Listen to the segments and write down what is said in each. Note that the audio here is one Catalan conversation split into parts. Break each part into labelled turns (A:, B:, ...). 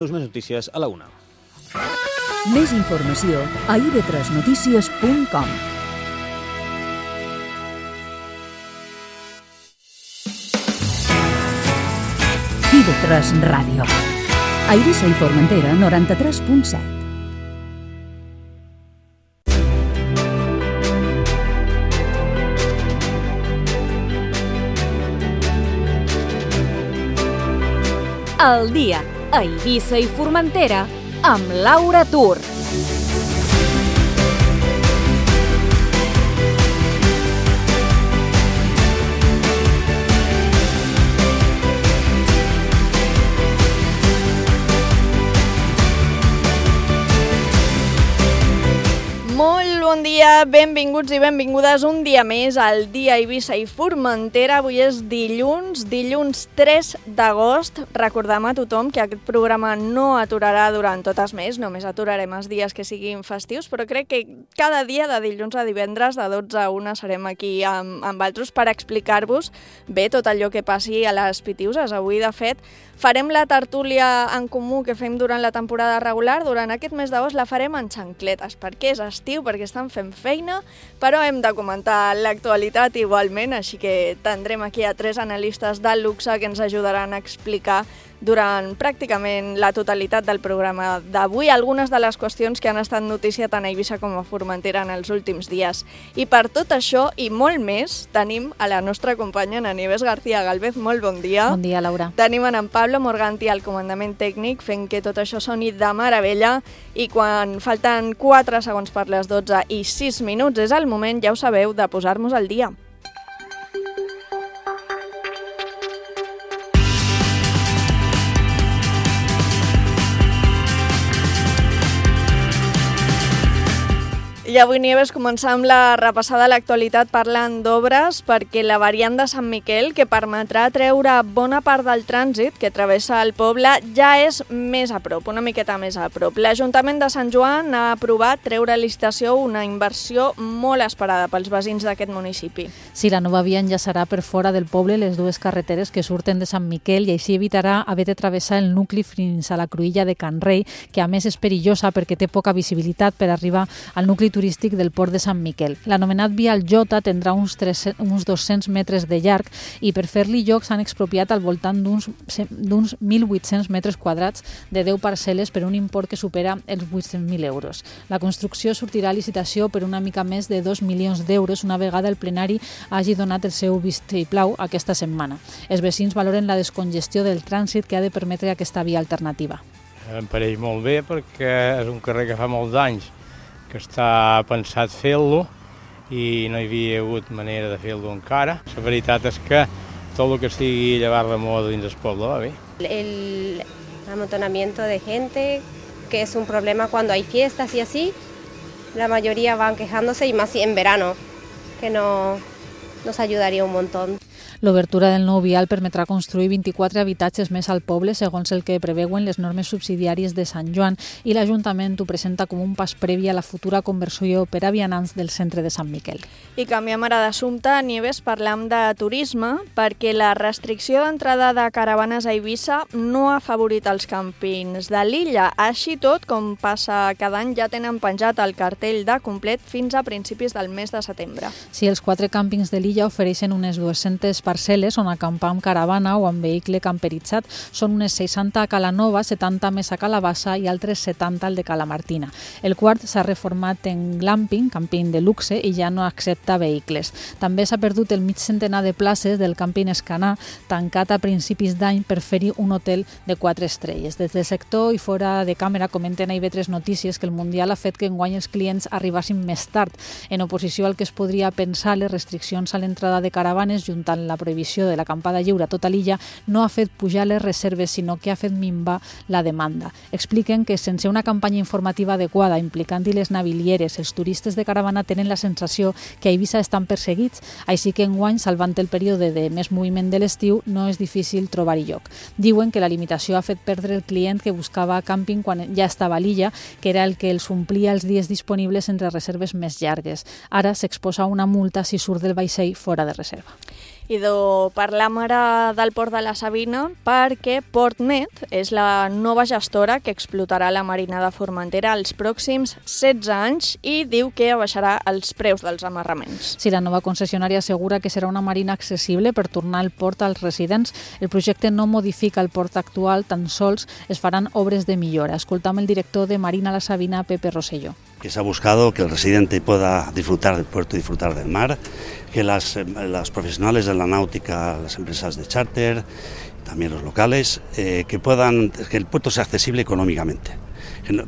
A: Més notícies a la 1.
B: Més informació a ib3notícies.com. IB3 Ràdio. A Eivissa i Formentera, 93.7.
C: El dia a Eivissa i Formentera amb Laura Tur.
D: Molt bon dia, benvinguts i benvingudes un dia més al dia Eivissa i Formentera. Avui és dilluns 3 d'agost. Recordem a tothom que aquest programa no aturarà durant tot el mes, només aturarem els dies que siguin festius, però crec que cada dia de dilluns a divendres de 12 a 1 serem aquí amb altres per explicar-vos bé tot allò que passi a les Pitiuses. Avui, de fet, farem la tertúlia en comú que fem durant la temporada regular. Durant aquest mes d'agost la farem en xancletes, perquè és estiu, perquè estan fent feina, però hem de comentar l'actualitat igualment, així que tindrem aquí a 3 analistes de luxe que ens ajudaran a explicar durant pràcticament la totalitat del programa d'avui algunes de les qüestions que han estat notícia tant a Eivissa com a Formentera en els últims dies. I per tot això i molt més tenim a la nostra companya en Nieves García Galvez. Molt bon dia.
E: Bon dia, Laura.
D: Tenim en Pablo Morganti al comandament tècnic fent que tot això soni de meravella, i quan falten 4 segons per les 12 i 6 minuts és el moment, ja ho sabeu, de posar-nos al dia. I avui, Nieves, començam la repassada a l'actualitat parlant d'obres, perquè la variant de Sant Miquel, que permetrà treure bona part del trànsit que travessa el poble, ja és més a prop, una miqueta més a prop. L'Ajuntament de Sant Joan ha aprovat treure a licitació una inversió molt esperada pels veïns d'aquest municipi.
E: Sí, la nova via enllaçarà per fora del poble les dues carreteres que surten de Sant Miquel i així evitarà haver de travessar el nucli fins a la cruïlla de Can Rei, que a més és perillosa perquè té poca visibilitat per arribar al nucli turístic del port de Sant Miquel. L'anomenat vial Jota tindrà uns 200 metres de llarg i per fer-li lloc s'han expropiat al voltant d'uns 1.800 metres quadrats de 10 parcel·les per un import que supera els 800.000 euros. La construcció sortirà a licitació per una mica més de 2 milions d'euros una vegada el plenari hagi donat el seu vistiplau aquesta setmana. Els veïns valoren la descongestió del trànsit que ha de permetre aquesta via alternativa.
F: Em pareix molt bé perquè és un carrer que fa molts anys que està pensat fer-lo i no hi havia hagut manera de fer-lo encara. La veritat és que tot el que sigui llevar la moda dins el poble va bé.
G: El amontonamiento de gente, que es un problema cuando hay fiestas y así, la mayoría van quejándose y más en verano, que nos ayudaría un montón.
E: L'obertura del nou vial permetrà construir 24 habitatges més al poble, segons el que preveuen les normes subsidiàries de Sant Joan, i l'Ajuntament ho presenta com un pas previ a la futura conversió per a vianants del centre de Sant Miquel.
D: I canviem ara d'assumpte, Nieves, parlam de turisme, perquè la restricció d'entrada de caravanes a Eivissa no ha afavorit els càmpings de l'illa. Així tot, com passa cada any, ja tenen penjat el cartell de complet fins a principis del mes de setembre.
E: Sí, els 4 càmpings de l'illa ofereixen unes 200 parcel·les on acampar amb caravana o amb vehicle camperitzat. Són unes 60 a Cala Nova, 70 més a Calabassa i altres 70 al de Cala Martina. El quart s'ha reformat en glamping, camping de luxe, i ja no accepta vehicles. També s'ha perdut el mig centenar de places del càmping Escanà, tancat a principis d'any per fer-hi un hotel de 4 estrelles. Des del sector i fora de càmera comenten a IB3 Notícies que el Mundial ha fet que enguany els clients arribassin més tard. En oposició al que es podria pensar, les restriccions a l'entrada de caravanes, juntant la prohibició de l'acampada lliure a tota l'illa, no ha fet pujar les reserves, sinó que ha fet minvar la demanda. Expliquen que sense una campanya informativa adequada implicant-hi les navilieres, els turistes de caravana tenen la sensació que a Eivissa estan perseguits, així que enguany, salvant el període de més moviment de l'estiu, no és difícil trobar-hi lloc. Diuen que la limitació ha fet perdre el client que buscava càmping quan ja estava a l'illa, que era el que els omplia els dies disponibles entre reserves més llargues. Ara s'exposa una multa si surt del vaixell fora de reserva.
D: Parlam ara del Port de la Sabina perquè PortMed és la nova gestora que explotarà la marina de Formentera els pròxims 16 anys i diu que abaixarà els preus dels amarraments.
E: Si la nova concessionària assegura que serà una marina accessible per tornar el port als residents, el projecte no modifica el port actual, tan sols es faran obres de millora. Escoltam el director de Marina La Sabina, Pepe Rosselló.
A: Que se ha buscado que el residente pueda disfrutar del puerto y disfrutar del mar, que los profesionales de la náutica, las empresas de charter, también los locales, que el puerto sea accesible económicamente.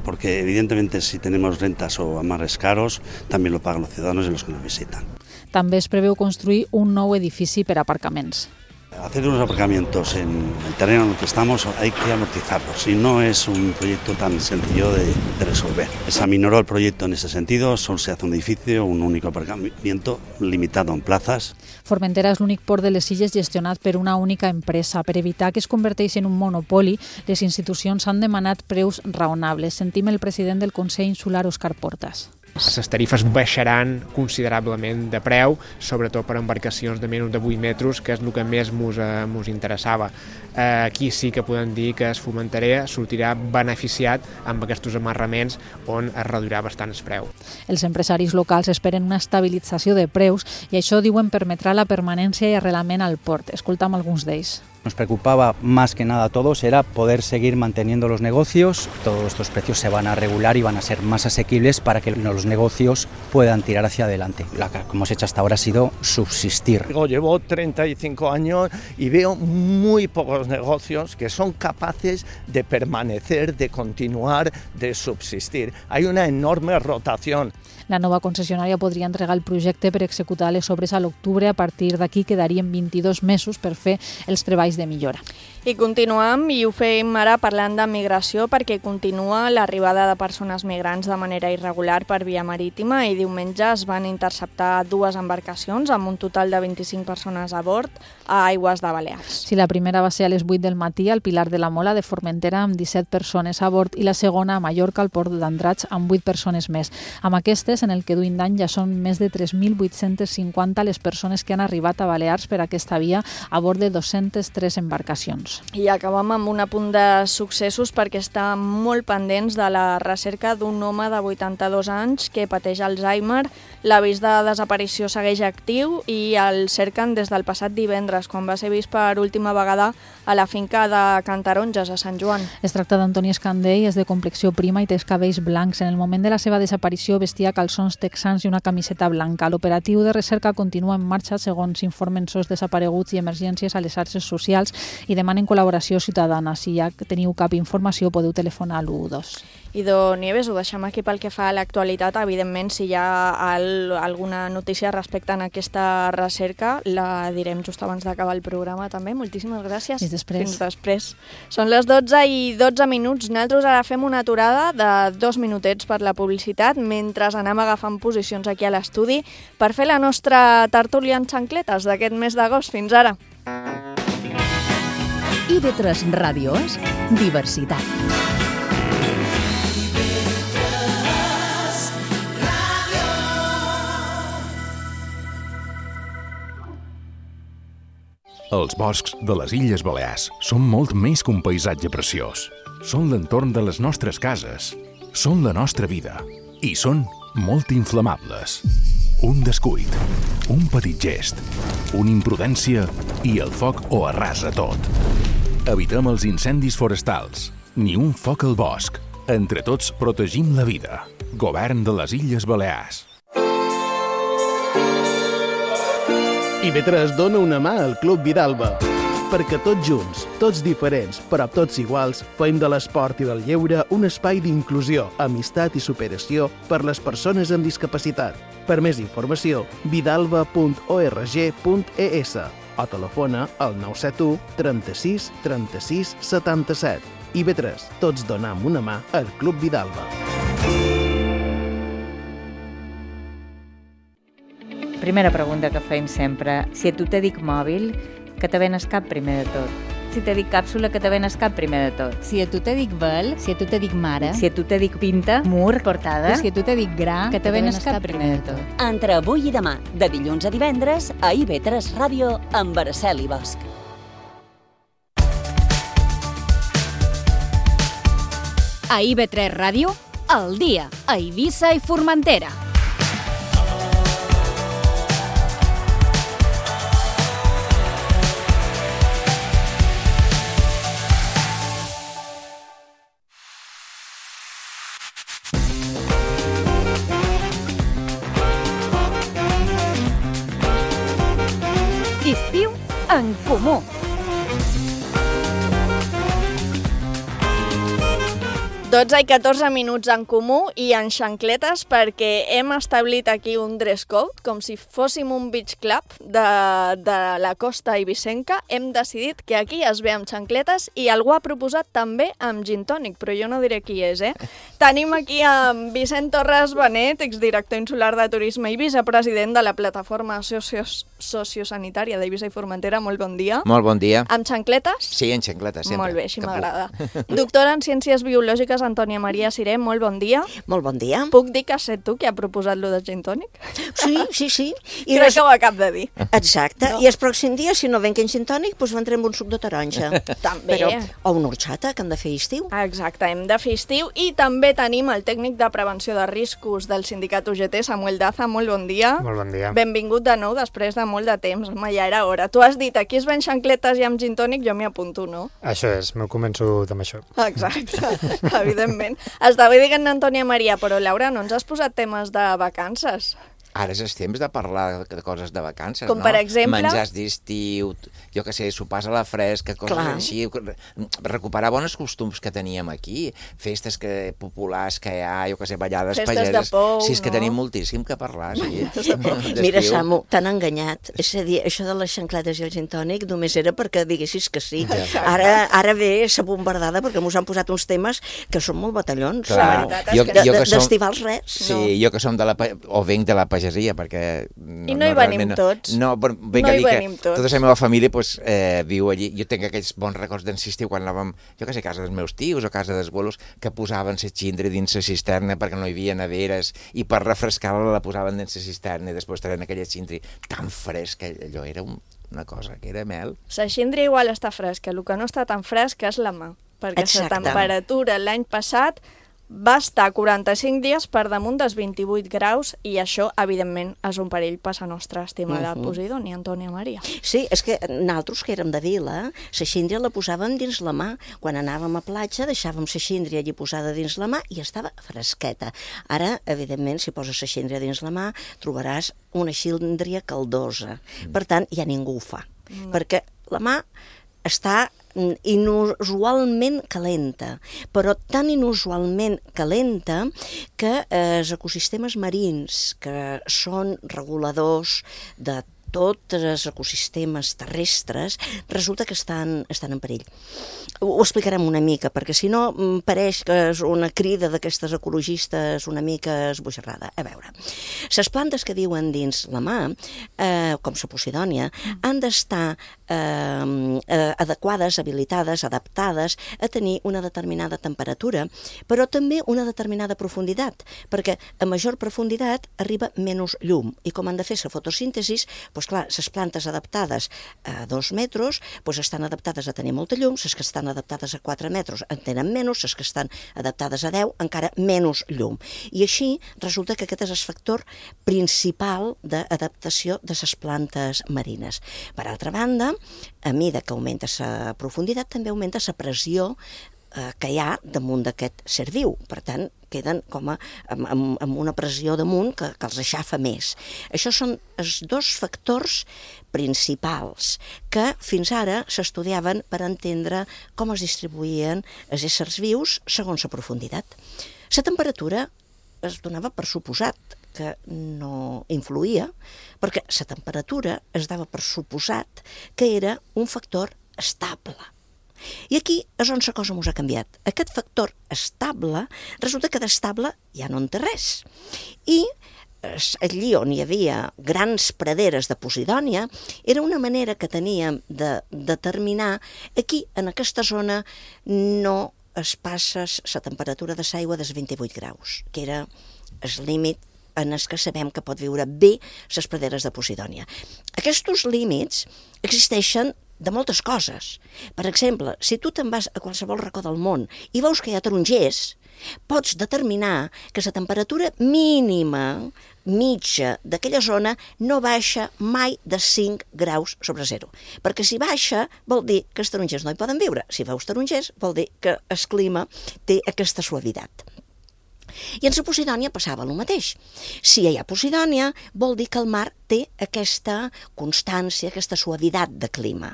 A: Porque evidentemente si tenemos rentas o amarres caros, también lo pagan los ciudadanos y los que nos visitan.
E: També es preveu construir un nou edifici per aparcaments.
A: Hacer unos aparcamientos en el terreno en el que estamos hay que amortizarlos y no es un proyecto tan sencillo de resolver. Se aminoró el proyecto en ese sentido, solo se hace un edificio, un único aparcamiento limitado en plazas.
E: Formentera és l'únic port de les Illes gestionat per una única empresa. Per evitar que es converteixi en un monopoli, les institucions han demanat preus raonables. Sentim el president del Consell Insular, Òscar Portas.
H: Les tarifes baixaran considerablement de preu, sobretot per embarcacions de menys de 8 metres, que és el que més ens interessava. Aquí sí que podem dir que es Formentera sortirà beneficiat amb aquests amarraments on es reduirà bastant el preu.
E: Els empresaris locals esperen una estabilització de preus i això, diuen, permetrà la permanència i arrelament al port. Escoltam alguns d'ells.
I: Nos preocupaba más que nada a todos era poder seguir manteniendo los negocios. Todos estos precios se van a regular y van a ser más asequibles para que los negocios puedan tirar hacia adelante. Lo que hemos hecho hasta ahora ha sido subsistir.
J: Llevo 35 años y veo muy pocos negocios que son capaces de permanecer, de continuar, de subsistir. Hay una enorme rotación.
E: La nova concessionària podria entregar el projecte per executar les obres a l'octubre. A partir d'aquí quedarien 22 mesos per fer els treballs de millora.
D: I continuem, i ho fem ara parlant de migració, perquè continua l'arribada de persones migrants de manera irregular per via marítima i diumenge es van interceptar 2 embarcacions amb un total de 25 persones a bord a aigües de Balears.
E: Sí, la primera va ser a les 8 del matí al Pilar de la Mola de Formentera amb 17 persones a bord i la segona a Mallorca al port d'Andratx amb 8 persones més. Amb aquestes, en el que duim d'any, ja són més de 3.850 les persones que han arribat a Balears per aquesta via a bord de 203 embarcacions.
D: I acabem amb un apunt de successos perquè està molt pendents de la recerca d'un home de 82 anys que pateix Alzheimer. L'avís de desaparició segueix actiu i el cerquen des del passat divendres, quan va ser vist per última vegada a la finca de Cantaronges, a Sant Joan.
E: Es tracta d'Antoni Escandell, és de complexió prima i té els cabells blancs. En el moment de la seva desaparició vestia calçons texans i una camiseta blanca. L'operatiu de recerca continua en marxa, segons informen SOS Desapareguts i Emergències a les xarxes socials, i demanen col·laboració ciutadana. Si ja teniu cap informació, podeu telefonar a l'112.
D: I Nieves, ho deixem aquí pel que fa a l'actualitat. Evidentment, si hi ha alguna notícia respecte a aquesta recerca, la direm just abans d'acabar el programa també. Moltíssimes gràcies.
E: Fins després.
D: Fins després. Són les 12:12. Nosaltres ara fem una aturada de 2 minutets per la publicitat mentre anem agafant posicions aquí a l'estudi per fer la nostra tertúlia en xancletes d'aquest mes d'agost. Fins ara.
B: IB3 Ràdio és diversitat.
K: Els boscs de les Illes Balears són molt més que un paisatge preciós. Són l'entorn de les nostres cases, són la nostra vida i són molt inflamables. Un descuid, un petit gest, una imprudència i el foc ho arrasa tot. Evitem els incendis forestals, ni un foc al bosc. Entre tots protegim la vida. Govern de les Illes Balears.
L: IB3 dona una mà al Club Vidalba, perquè tots junts, tots diferents, però tots iguals, fem de l'esport i del lleure un espai d'inclusió, amistat i superació per les persones amb discapacitat. Per més informació, vidalba.org.es o telefona al 971 36 36 77. IB3, tots donam una mà al Club Vidalba.
M: Primera pregunta que fem sempre. Si a tu te dic mòbil, què te ven al cap primer de tot? Si te dic càpsula, que te venes cap primer de tot.
N: Si a tu te dic vel, si a tu te dic mare,
M: Si a tu te dic pinta, mur, portada,
N: si a tu te dic gra,
M: que te venes cap primer de tot.
O: Entre avui i demà, de dilluns a divendres, a IB3 Ràdio, amb Araceli Bosch.
C: A IB3 Ràdio, al dia, a Eivissa i Formentera. Estiu en comú.
D: Doncs hi 14 minuts en comú i en xancletes perquè hem establit aquí un dress code, com si fóssim un beach club de la costa eivissenca. Hem decidit que aquí es ve amb xancletes i algú ha proposat també amb gin tònic, però jo no diré qui és, Tenim aquí amb Vicent Torres Benet, exdirector insular de Turisme i vicepresident de la plataforma sociosanitària d'Eivissa i Formentera. Molt bon dia.
P: Molt bon dia.
D: Amb xancletes?
P: Sí, en xancletes, sempre.
D: Molt bé, així m'agrada. Doctora en Ciències Biològiques, Antònia Maria Siré, molt bon dia.
Q: Molt bon dia.
D: Puc dir que has set tu qui ha proposat lo de gin tònic?
Q: Sí.
D: I crec que ho acab de dir.
Q: Exacte. No. I el pròxim dia, si no ven que en gin tònic, doncs vendrem un suc de taronja.
D: També.
Q: O una horxata, que hem de fer estiu.
D: Exacte, hem de fer estiu. I també tenim el tècnic de prevenció de riscos del sindicat UGT, Samuel Daza. Molt bon dia.
R: Molt bon dia.
D: Benvingut de nou després de molt de temps. Home, ja era hora. Tu has dit, aquí es ven xancletes i amb gin tònic, jo m'hi apunto, no?
R: Això és, m'ho començo amb això.
D: Exacte, evidentment. Estava dient Antònia Maria, però Laura, no ens has posat temes de vacances?
P: Ara és temps de parlar de coses de vacances,
D: com, no? Per exemple?
P: Menjars d'estiu, jo què sé, sopars a la fresca, coses així. Recuperar bons costums que teníem aquí. Festes populars que hi ha, jo què sé, ballades pageses.
D: Festes de pou,
P: sí, és que tenim moltíssim que parlar, sí.
Q: Mira, Samu, t'han enganyat. És a dir, això de les xancletes i el gin tònic només era perquè diguessis que sí. Ara ve sa bombardada perquè mos han posat uns temes que són molt batallons. D'estivals res.
P: Sí, jo que som de la... o venc de la pagesia, perquè...
D: I no hi venim tots.
P: No, vinc a dir que tota la meva família viu allí. Jo tinc aquells bons records d'ensistiu quan anàvem, jo què sé, a casa dels meus tios o a casa dels bolos, que posaven la xindra dins la cisterna perquè no hi havia neveres i per refrescar-la la posaven dins la cisterna i després treien aquella xindra tan fresca. Allò era una cosa que era mel.
D: La xindra igual està fresca, el que no està tan fresca és la mà, perquè la temperatura l'any passat va estar 45 dies per damunt dels 28 graus i això, evidentment, és un perill per la nostra estimada Posidònia, Antònia Maria.
Q: Sí, és que nosaltres que érem de vila, la xíndria la posàvem dins la mà. Quan anàvem a platja deixàvem la xíndria allí posada dins la mà i estava fresqueta. Ara, evidentment, si poses la xíndria dins la mà, trobaràs una xíndria caldosa. Per tant, ja ningú ho fa, perquè la mà està inusualment calenta, però tan inusualment calenta que els ecosistemes marins, que són reguladors de tots els ecosistemes terrestres, resulta que estan en perill. Ho explicarem una mica, perquè si no pareix que és una crida d'aquestes ecologistes una mica esbojarrada. A veure, les plantes que viuen dins la mà, com la Posidònia, han d'estar adequades, habilitades, adaptades a tenir una determinada temperatura, però també una determinada profunditat, perquè a major profunditat arriba menys llum, i com han de fer la fotosíntesi, doncs clar, les plantes adaptades a 2 metres estan adaptades a tenir molta llum, les que estan adaptades a 4 metres en tenen menys, les que estan adaptades a 10 encara menys llum. I així resulta que aquest és el factor principal d'adaptació de les plantes marines. Per altra banda, a mesura que augmenta la profunditat, també augmenta la pressió que hi ha damunt d'aquest ser viu. Per tant, queden com amb una pressió damunt que els aixafa més. Això són els 2 factors principals que fins ara s'estudiaven per entendre com es distribuïen els éssers vius segons la profunditat. La temperatura es donava per suposat que no influïa, perquè la temperatura es dava per suposat que era un factor estable. I aquí és on la cosa ens ha canviat. Aquest factor estable resulta que d'estable ja no en té res. I allí on hi havia grans praderes de posidònia, era una manera que teníem de determinar aquí, en aquesta zona, no es passa la temperatura de l'aigua dels 28 graus, que era el límit en els que sabem que pot viure bé les praderes de posidònia. Aquests límits existeixen de moltes coses. Per exemple, si tu te'n vas a qualsevol racó del món i veus que hi ha tarongers, pots determinar que la temperatura mínima, mitja, d'aquella zona no baixa mai de 5 graus sobre 0. Perquè si baixa, vol dir que els tarongers no hi poden viure. Si veus tarongers, vol dir que el clima té aquesta suavitat. I en la Posidònia passava el mateix. Si hi ha Posidònia, vol dir que el mar té aquesta constància, aquesta suavitat de clima.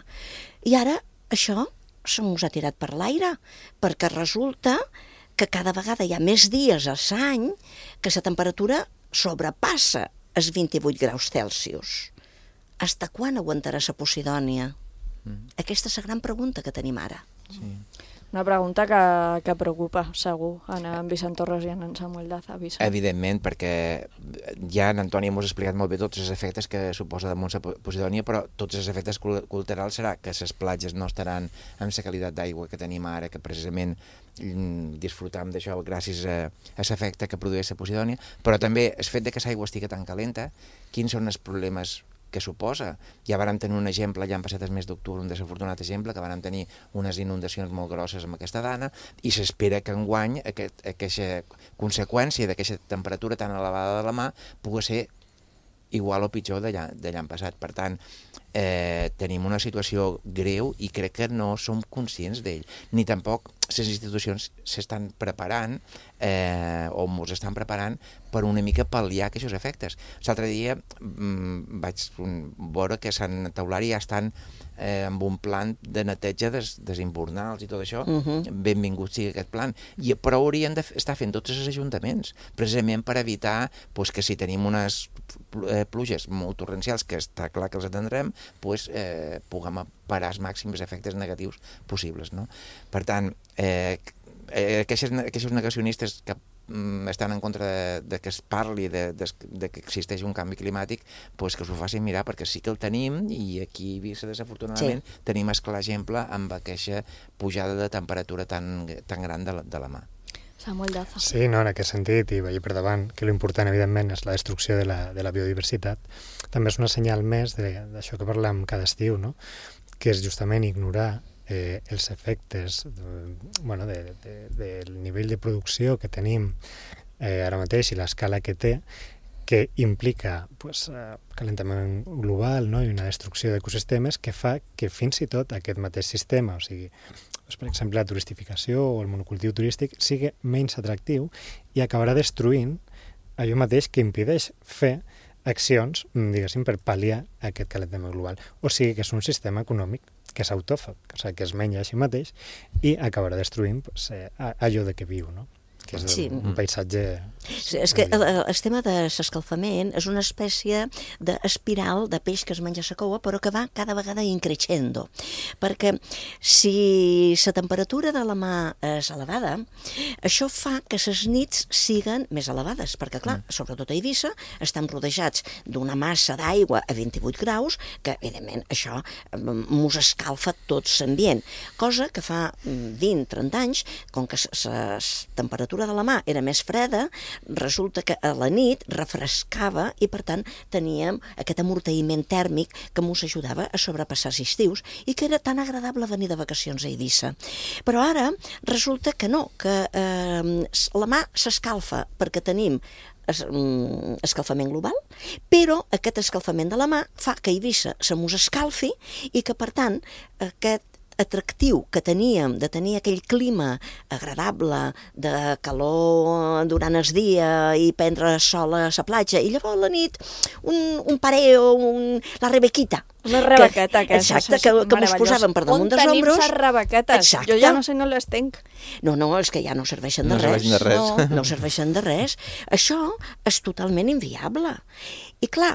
Q: I ara això se mos ha tirat per l'aire, perquè resulta que cada vegada hi ha més dies a l'any que la temperatura sobrepassa els 28 graus Celsius. Hasta quan aguantarà la Posidònia? Aquesta és la gran pregunta que tenim ara.
P: Sí.
D: Una pregunta que preocupa, segur, en Vicent Torres i en Samuel Daza.
P: Evidentment, perquè ja en Antoni m'ho ha explicat molt bé tots els efectes que suposa damunt la Posidònia, però tots els efectes col·laterals serà que les platges no estaran amb la qualitat d'aigua que tenim ara, que precisament disfrutam d'això gràcies a l'efecte que produeix la Posidònia, però també el fet que l'aigua estigui tan calenta, quins són els problemes que suposa. Ja vàrem tenir un exemple, ja han passat el mes d'octubre, un desafortunat exemple, que vàrem tenir unes inundacions molt grosses amb aquesta dana, i s'espera que enguany aquesta conseqüència d'aquesta temperatura tan elevada de la mà pugui ser igual o pitjor d'allà passat. Per tant, tenim una situació greu i crec que no som conscients d'ell, ni tampoc les institucions s'estan preparant o ens estan preparant per una mica pal·liar aquests efectes. L'altre dia vaig veure que Sant Eulària ja estan amb un plan de neteja dels invernals i tot això. Benvingut sigui aquest plan. Però haurien d'estar fent tots els ajuntaments, precisament per evitar que si tenim unes pluges molt torrencials, que està clar que els atendrem, puguem parar els màxims efectes negatius possibles. Per tant, aquests negacionistes que estan en contra de que es parli de que existeix un canvi climàtic, que s'ho facin mirar, perquè sí que el tenim, i aquí a Eivissa, desafortunadament, tenim el clar exemple amb aquesta pujada de temperatura tan gran de la mà.
D: Samuel Daza.
R: Sí, no, en aquest sentit, i veia per davant que l'important, evidentment, és la destrucció de la biodiversitat. També és una senyal més d'això que parlem cada estiu, no? Que és justament ignorar els efectes del nivell de producció que tenim ara mateix i l'escala que té, que implica calentament global, no? I una destrucció d'ecosistemes que fa que fins i tot aquest mateix sistema, o sigui, per exemple, la turistificació o el monocultiu turístic sigui menys atractiu i acabarà destruint allò mateix que impedeix fer accions, diguéssim, per pal·liar aquest calentament global. O sigui que és un sistema econòmic que és autòfag, o sigui, que es menja així mateix i acabarà destruint allò de què viu, no? Que és un paisatge...
Q: És que el tema de l'escalfament és una espècie d'espiral de peix que es menja la coua, però que va cada vegada increixendo. Perquè si la temperatura de la mà és elevada, això fa que les nits siguen més elevades, perquè, clar, sobretot a Eivissa, estem rodejats d'una massa d'aigua a 28 graus, que, evidentment, això mos escalfa tot l'ambient. Cosa que fa 20-30 anys, com que la temperatura de la mà era més freda, resulta que a la nit refrescava i, per tant, teníem aquest amortïment tèrmic que ens ajudava a sobrepassar els estius i que era tan agradable venir de vacacions a Eivissa. Però ara resulta que no, que la mà s'escalfa perquè tenim escalfament global, però aquest escalfament de la mà fa que Eivissa se mos escalfi i que, per tant, aquest atractiu que teníem de tenir aquell clima agradable de calor durant el dia i prendre sol a la platja i llavors a la nit un pareo, la rebequita.
D: La rebequeta aquesta.
Q: Exacte, que ens posàvem per damunt dels ombros.
D: On tenim les rebequetes? Jo ja no sé, no les tenc.
Q: No, és que ja no serveixen de res. No serveixen de res. Això és totalment inviable. I clar,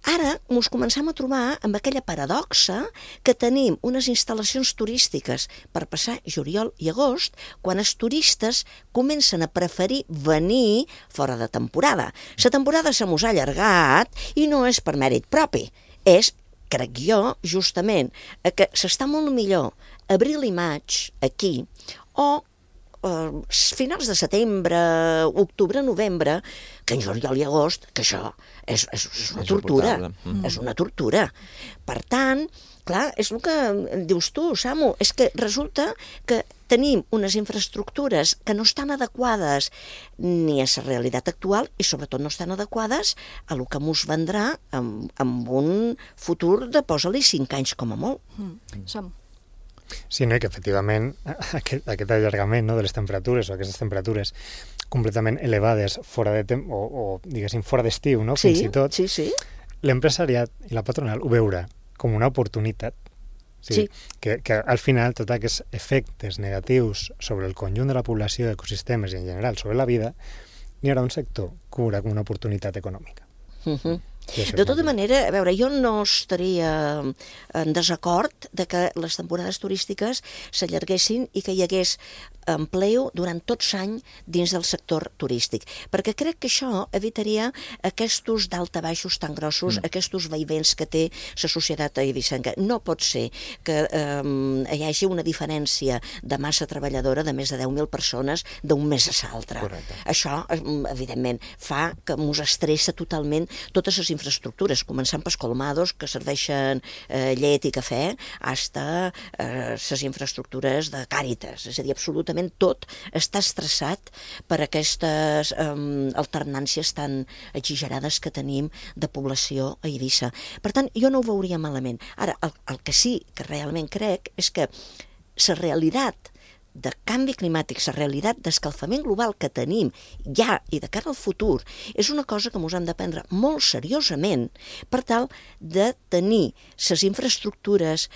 Q: Ara ens comencem a trobar amb aquella paradoxa que tenim unes instal·lacions turístiques per passar juliol i agost quan els turistes comencen a preferir venir fora de temporada. La temporada se mos ha allargat i no és per mèrit propi, és, crec jo, justament, que s'està molt millor abril i maig aquí o finals de setembre, octubre, novembre, que en juliol i agost, que això és una tortura. És una tortura. Per tant, clar, és el que dius tu, Samu, és que resulta que tenim unes infraestructures que no estan adequades ni a la realitat actual i sobretot no estan adequades a el que mos vendrà amb un futur de posa-li 5 anys com a molt.
D: Samu.
R: Sí, no? I que efectivament aquest allargament, no, de les temperatures o aquestes temperatures completament elevades fora de o diguéssim fora d'estiu, no? Fins i tot, l'empresariat i la patronal ho veurà com una oportunitat. Sí. Que al final tots aquests efectes negatius sobre el conjunt de la població, ecosistemes i en general sobre la vida, n'hi haurà un sector que ho veurà com una oportunitat econòmica.
Q: De tota manera, a veure, jo no estaria en desacord de que les temporades turístiques s'allarguessin i que hi hagués empleo durant tot l'any dins del sector turístic, perquè crec que això evitaria aquests daltabaixos tan grossos, aquests vaivents que té la societat eivissenca. No pot ser que hi hagi una diferència de massa treballadora de més de 10.000 persones d'un mes a l'altre. Això, evidentment, fa que mos estressa totalment totes les infraestructures, començant pels colmados que serveixen llet i cafè, fins les infraestructures de Càritas. És a dir, absolutament tot està estressat per aquestes alternàncies tan exagerades que tenim de població a Eivissa. Per tant, jo no ho veuria malament. Ara, el que sí que realment crec és que la realitat de canvi climàtic, la realitat d'escalfament global que tenim ja i de cara al futur, és una cosa que ens hem de prendre molt seriosament per tal de tenir les infraestructures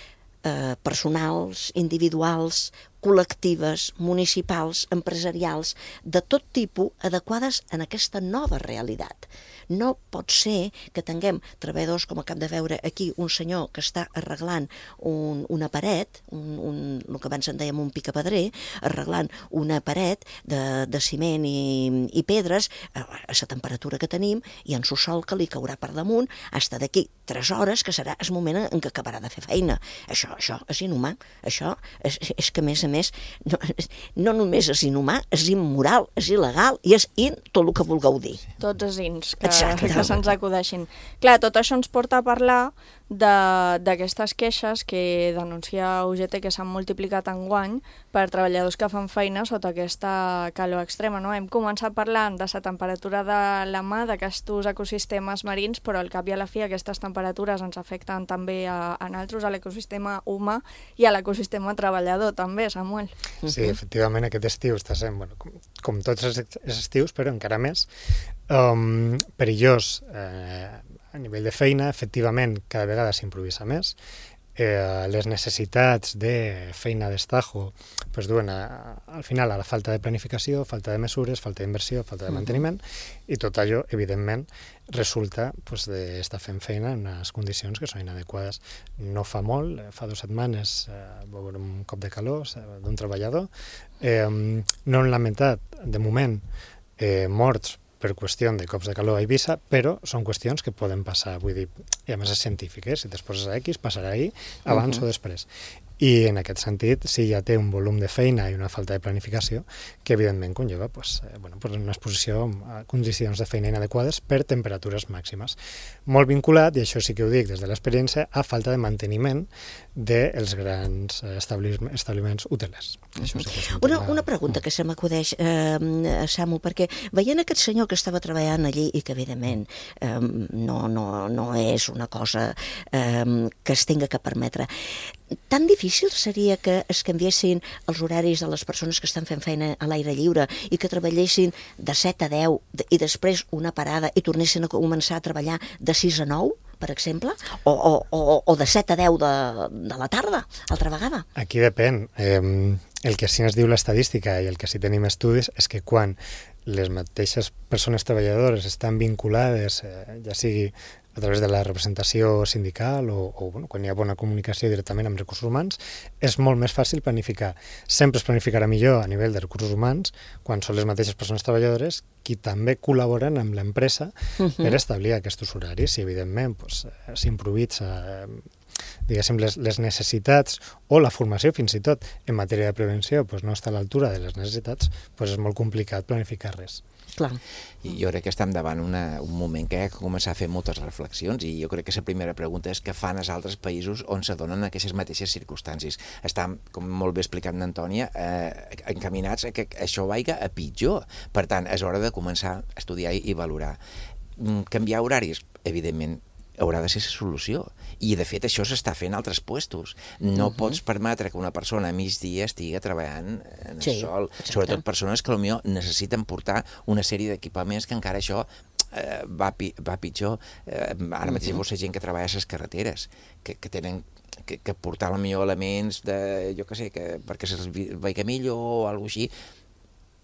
Q: personals, individuals, col·lectives, municipals, empresarials, de tot tipus, adequades en aquesta nova realitat. No pot ser que tinguem treballadors, com acabem de veure aquí, un senyor que està arreglant una paret, el que abans en dèiem un picapedrer, arreglant una paret de ciment i pedres a la temperatura que tenim i en el sol que li caurà per damunt fins d'aquí 3 hores, que serà el moment en què acabarà de fer feina. Això és inhumà. Això és que, a més, no només és inhumà, és immoral, és il·legal i és tot el que vulgueu dir.
D: Tots els ins que se'ns acudeixin. Clar, tot això ens porta a parlar d'aquestes queixes que denuncia UGT que s'han multiplicat enguany per treballadors que fan feina sota aquesta calor extrema. No? Hem començat parlant de la temperatura de la mà, d'aquests ecosistemes marins, però al cap i a la fi aquestes temperatures ens afecten també a nosaltres, a l'ecosistema humà i a l'ecosistema treballador també, Samuel.
R: Sí, efectivament, aquest estiu està sent, com tots els estius, però encara més perillós a nivell de feina. Efectivament, cada vegada s'improvisa més. Les necessitats de feina d'estajo duen al final a la falta de planificació, falta de mesures, falta d'inversió, falta de manteniment, i tot allò, evidentment, resulta d'estar fent feina en unes condicions que són inadequades. No fa molt, fa 2 setmanes, va haver un cop de calor d'un treballador. No han lamentat, de moment, morts per qüestió de cops de calor a Eivissa, però són qüestions que poden passar, vull dir, i a més és científic, si t'es poses a X, passarà ahir, abans o després. I en aquest sentit, sí, ja té un volum de feina i una falta de planificació que evidentment conlleva una exposició a condicions de feina inadequades per temperatures màximes. Molt vinculat, i això sí que ho dic des de l'experiència, a falta de manteniment dels grans establiments hotelers.
Q: Una pregunta que se m'acudeix, Samu, perquè veient aquest senyor que estava treballant allí i que evidentment no és una cosa que es tinga que permetre, tan difícil seria que es canviessin els horaris de les persones que estan fent feina a l'aire lliure i que treballessin de 7 a 10 i després una parada i tornessin a començar a treballar de 6 a 9, per exemple, o de 7 a 10 de la tarda, altra vegada?
R: Aquí depèn. El que sí ens diu l'estadística i el que sí tenim estudis és que quan les mateixes persones treballadores estan vinculades, ja sigui a través de la representació sindical o quan hi ha bona comunicació directament amb recursos humans, és molt més fàcil planificar. Sempre es planificarà millor a nivell de recursos humans quan són les mateixes persones treballadores qui també col·laboren amb l'empresa per establir aquests horaris i, evidentment, s'improvisa diguéssim, les necessitats o la formació fins i tot en matèria de prevenció no està a l'altura de les necessitats, és molt complicat planificar res.
Q: Clar.
P: Jo crec que estem davant un moment que ha de començar a fer moltes reflexions i jo crec que la primera pregunta és què fan els altres països on se donen aquestes mateixes circumstàncies. Estan, com molt bé explicat n'Antònia, encaminats a que això vagi a pitjor. Per tant, és hora de començar a estudiar i valorar. Canviar horaris, evidentment, haurà de ser la solució. I, de fet, això s'està fent a altres puestos. No pots permetre que una persona a migdia estigui treballant en el sol. Sobretot persones que potser necessiten portar una sèrie d'equipaments que encara això va pitjor. Ara mateix hi ha gent que treballa a les carreteres, que tenen que portar potser elements de, jo què sé, perquè se'ls vegi millor o alguna cosa així.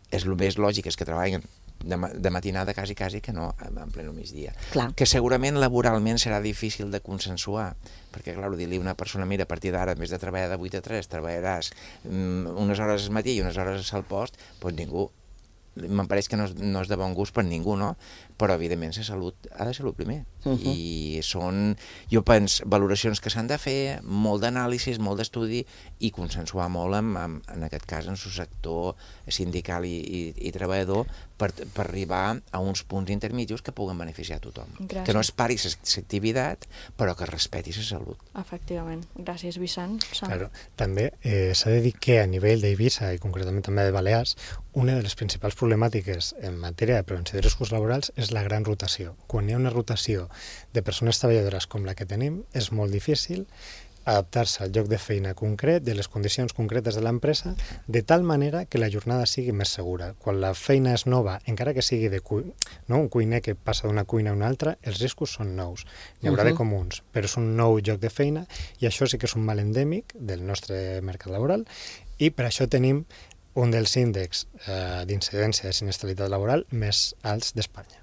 P: És el més lògic, és que treballen de matinada quasi que no en pleno migdia.
Q: Clar.
P: Que segurament laboralment serà difícil de consensuar, perquè, clar, dir-li a una persona, mira, a partir d'ara, en vez de treballar de 8 a 3, treballaràs unes hores al matí i unes hores al post, doncs ningú, me'n pareix que no és de bon gust per ningú, no? Però, evidentment, la salut ha de ser el primer. I són, jo penso, valoracions que s'han de fer, molt d'anàlisis, molt d'estudi i consensuar molt, en aquest cas, en el sector sindical i treballador per arribar a uns punts intermedis que puguen beneficiar a tothom.
D: Gràcies.
P: Que no es pari l'activitat, però que respeti la salut.
D: Efectivament. Gràcies, Vicent.
R: Claro. També s'ha de dir que a nivell d'Eivissa i concretament també de Balears, una de les principals problemàtiques en matèria de prevenció de riscos laborals és la gran rotació. Quan hi ha una rotació de persones treballadores com la que tenim, és molt difícil adaptar-se al lloc de feina concret, de les condicions concretes de l'empresa, de tal manera que la jornada sigui més segura. Quan la feina és nova, encara que sigui un cuiner que passa d'una cuina a una altra, els riscos són nous. N'hi haurà de comuns, però és un nou lloc de feina i això sí que és un mal endèmic del nostre mercat laboral i per això tenim un dels índexs d'incidència de sinistralitat laboral més alts d'Espanya.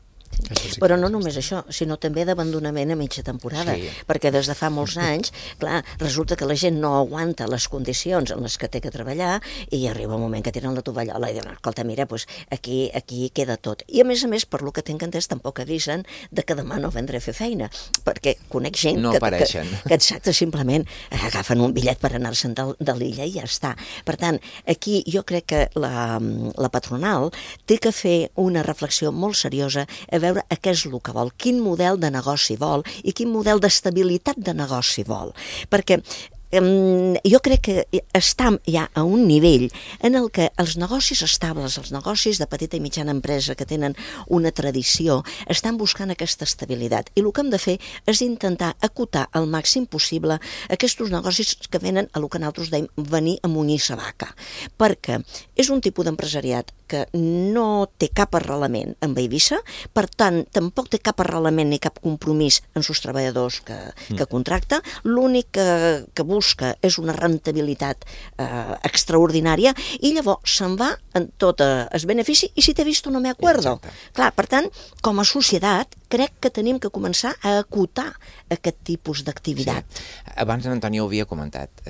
Q: Però no només això, sinó també d'abandonament a mitja temporada, perquè des de fa molts anys, clar, resulta que la gent no aguanta les condicions en les que té que treballar i arriba un moment que tiren la tovallola i diuen, escolta, mira, aquí queda tot. I a més, per lo que tinc entès, tampoc avisen de que demà no vendré a fer feina, perquè conec gent que exacte, simplement agafen un bitllet per anar-se'n de l'illa i ja està. Per tant, aquí jo crec que la patronal té que fer una reflexió molt seriosa a veure a què és el que vol, quin model de negoci vol i quin model d'estabilitat de negoci vol. Perquè jo crec que estem ja a un nivell en el que els negocis estables, els negocis de petita i mitjana empresa que tenen una tradició, estan buscant aquesta estabilitat. I el que hem de fer és intentar acotar al màxim possible aquests negocis que venen a el que nosaltres dèiem venir a munyir sa vaca. Perquè és un tipus d'empresariat que no té cap arrelament amb Eivissa, per tant, tampoc té cap arrelament ni cap compromís en els treballadors que contracta. L'únic que busca és una rentabilitat extraordinària i llavors se'n va en tot el benefici i si t'he vist no me acuerdo. Clar, per tant, com a societat, crec que tenim que començar a acotar aquest tipus d'activitat.
P: Abans l'Antoni ho havia comentat,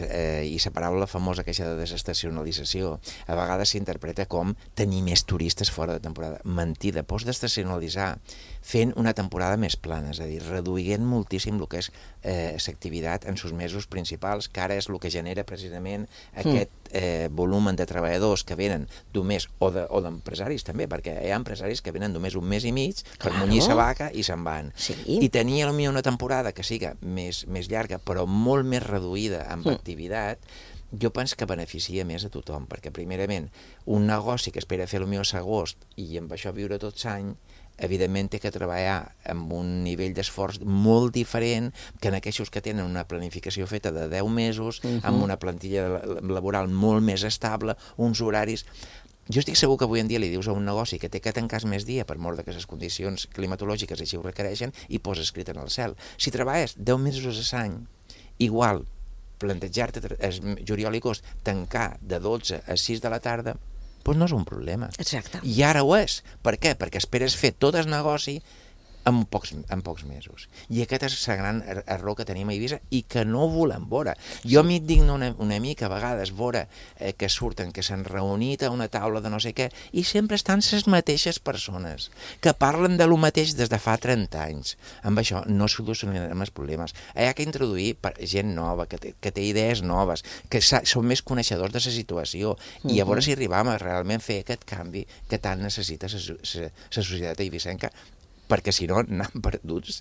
P: i la paraula famosa aquesta de desestacionalització a vegades s'interpreta com tenir més turistes fora de temporada. Mentida, pots desestacionalitzar fent una temporada més plana, és a dir, reduint moltíssim el que és l'activitat en els mesos principals, que ara és el que genera precisament aquest volum de treballadors que venen d'un mes, o d'empresaris també, perquè hi ha empresaris que venen només un mes i mig per munyir sa vaca i se'n van. I tenir potser una temporada que siga més llarga, però molt més reduïda amb activitat, jo penso que beneficia més a tothom, perquè primerament un negoci que espera fer potser l'agost i amb això viure tot l'any, evidentment té que treballar amb un nivell d'esforç molt diferent que en aquells que tenen una planificació feta de 10 mesos, amb una plantilla laboral molt més estable, uns horaris. Jo estic segur que avui en dia li dius a un negoci que té que tancar més dia per mort que les condicions climatològiques així ho requereixen i posa escrit en el cel. Si treballes 10 mesos a l'any, igual plantejar-te juliol i agost tancar de 12 a 6 de la tarda, doncs no és un problema.
Q: Exacte.
P: I ara ho és. Per què? Perquè esperes fer tot el negoci en pocs mesos. I aquest és el gran error que tenim a Eivissa i que no volem veure. Jo m'hi digno una mica a vegades veure que surten, que s'han reunit a una taula de no sé què, i sempre estan les mateixes persones, que parlen de lo mateix des de fa 30 anys. Amb això no solucionarem els problemes. Hi ha que introduir gent nova, que té idees noves, que són més coneixedors de la situació, i a veure si arribam a realment fer aquest canvi que tant necessita la societat eivissenca, perquè si no anem perduts,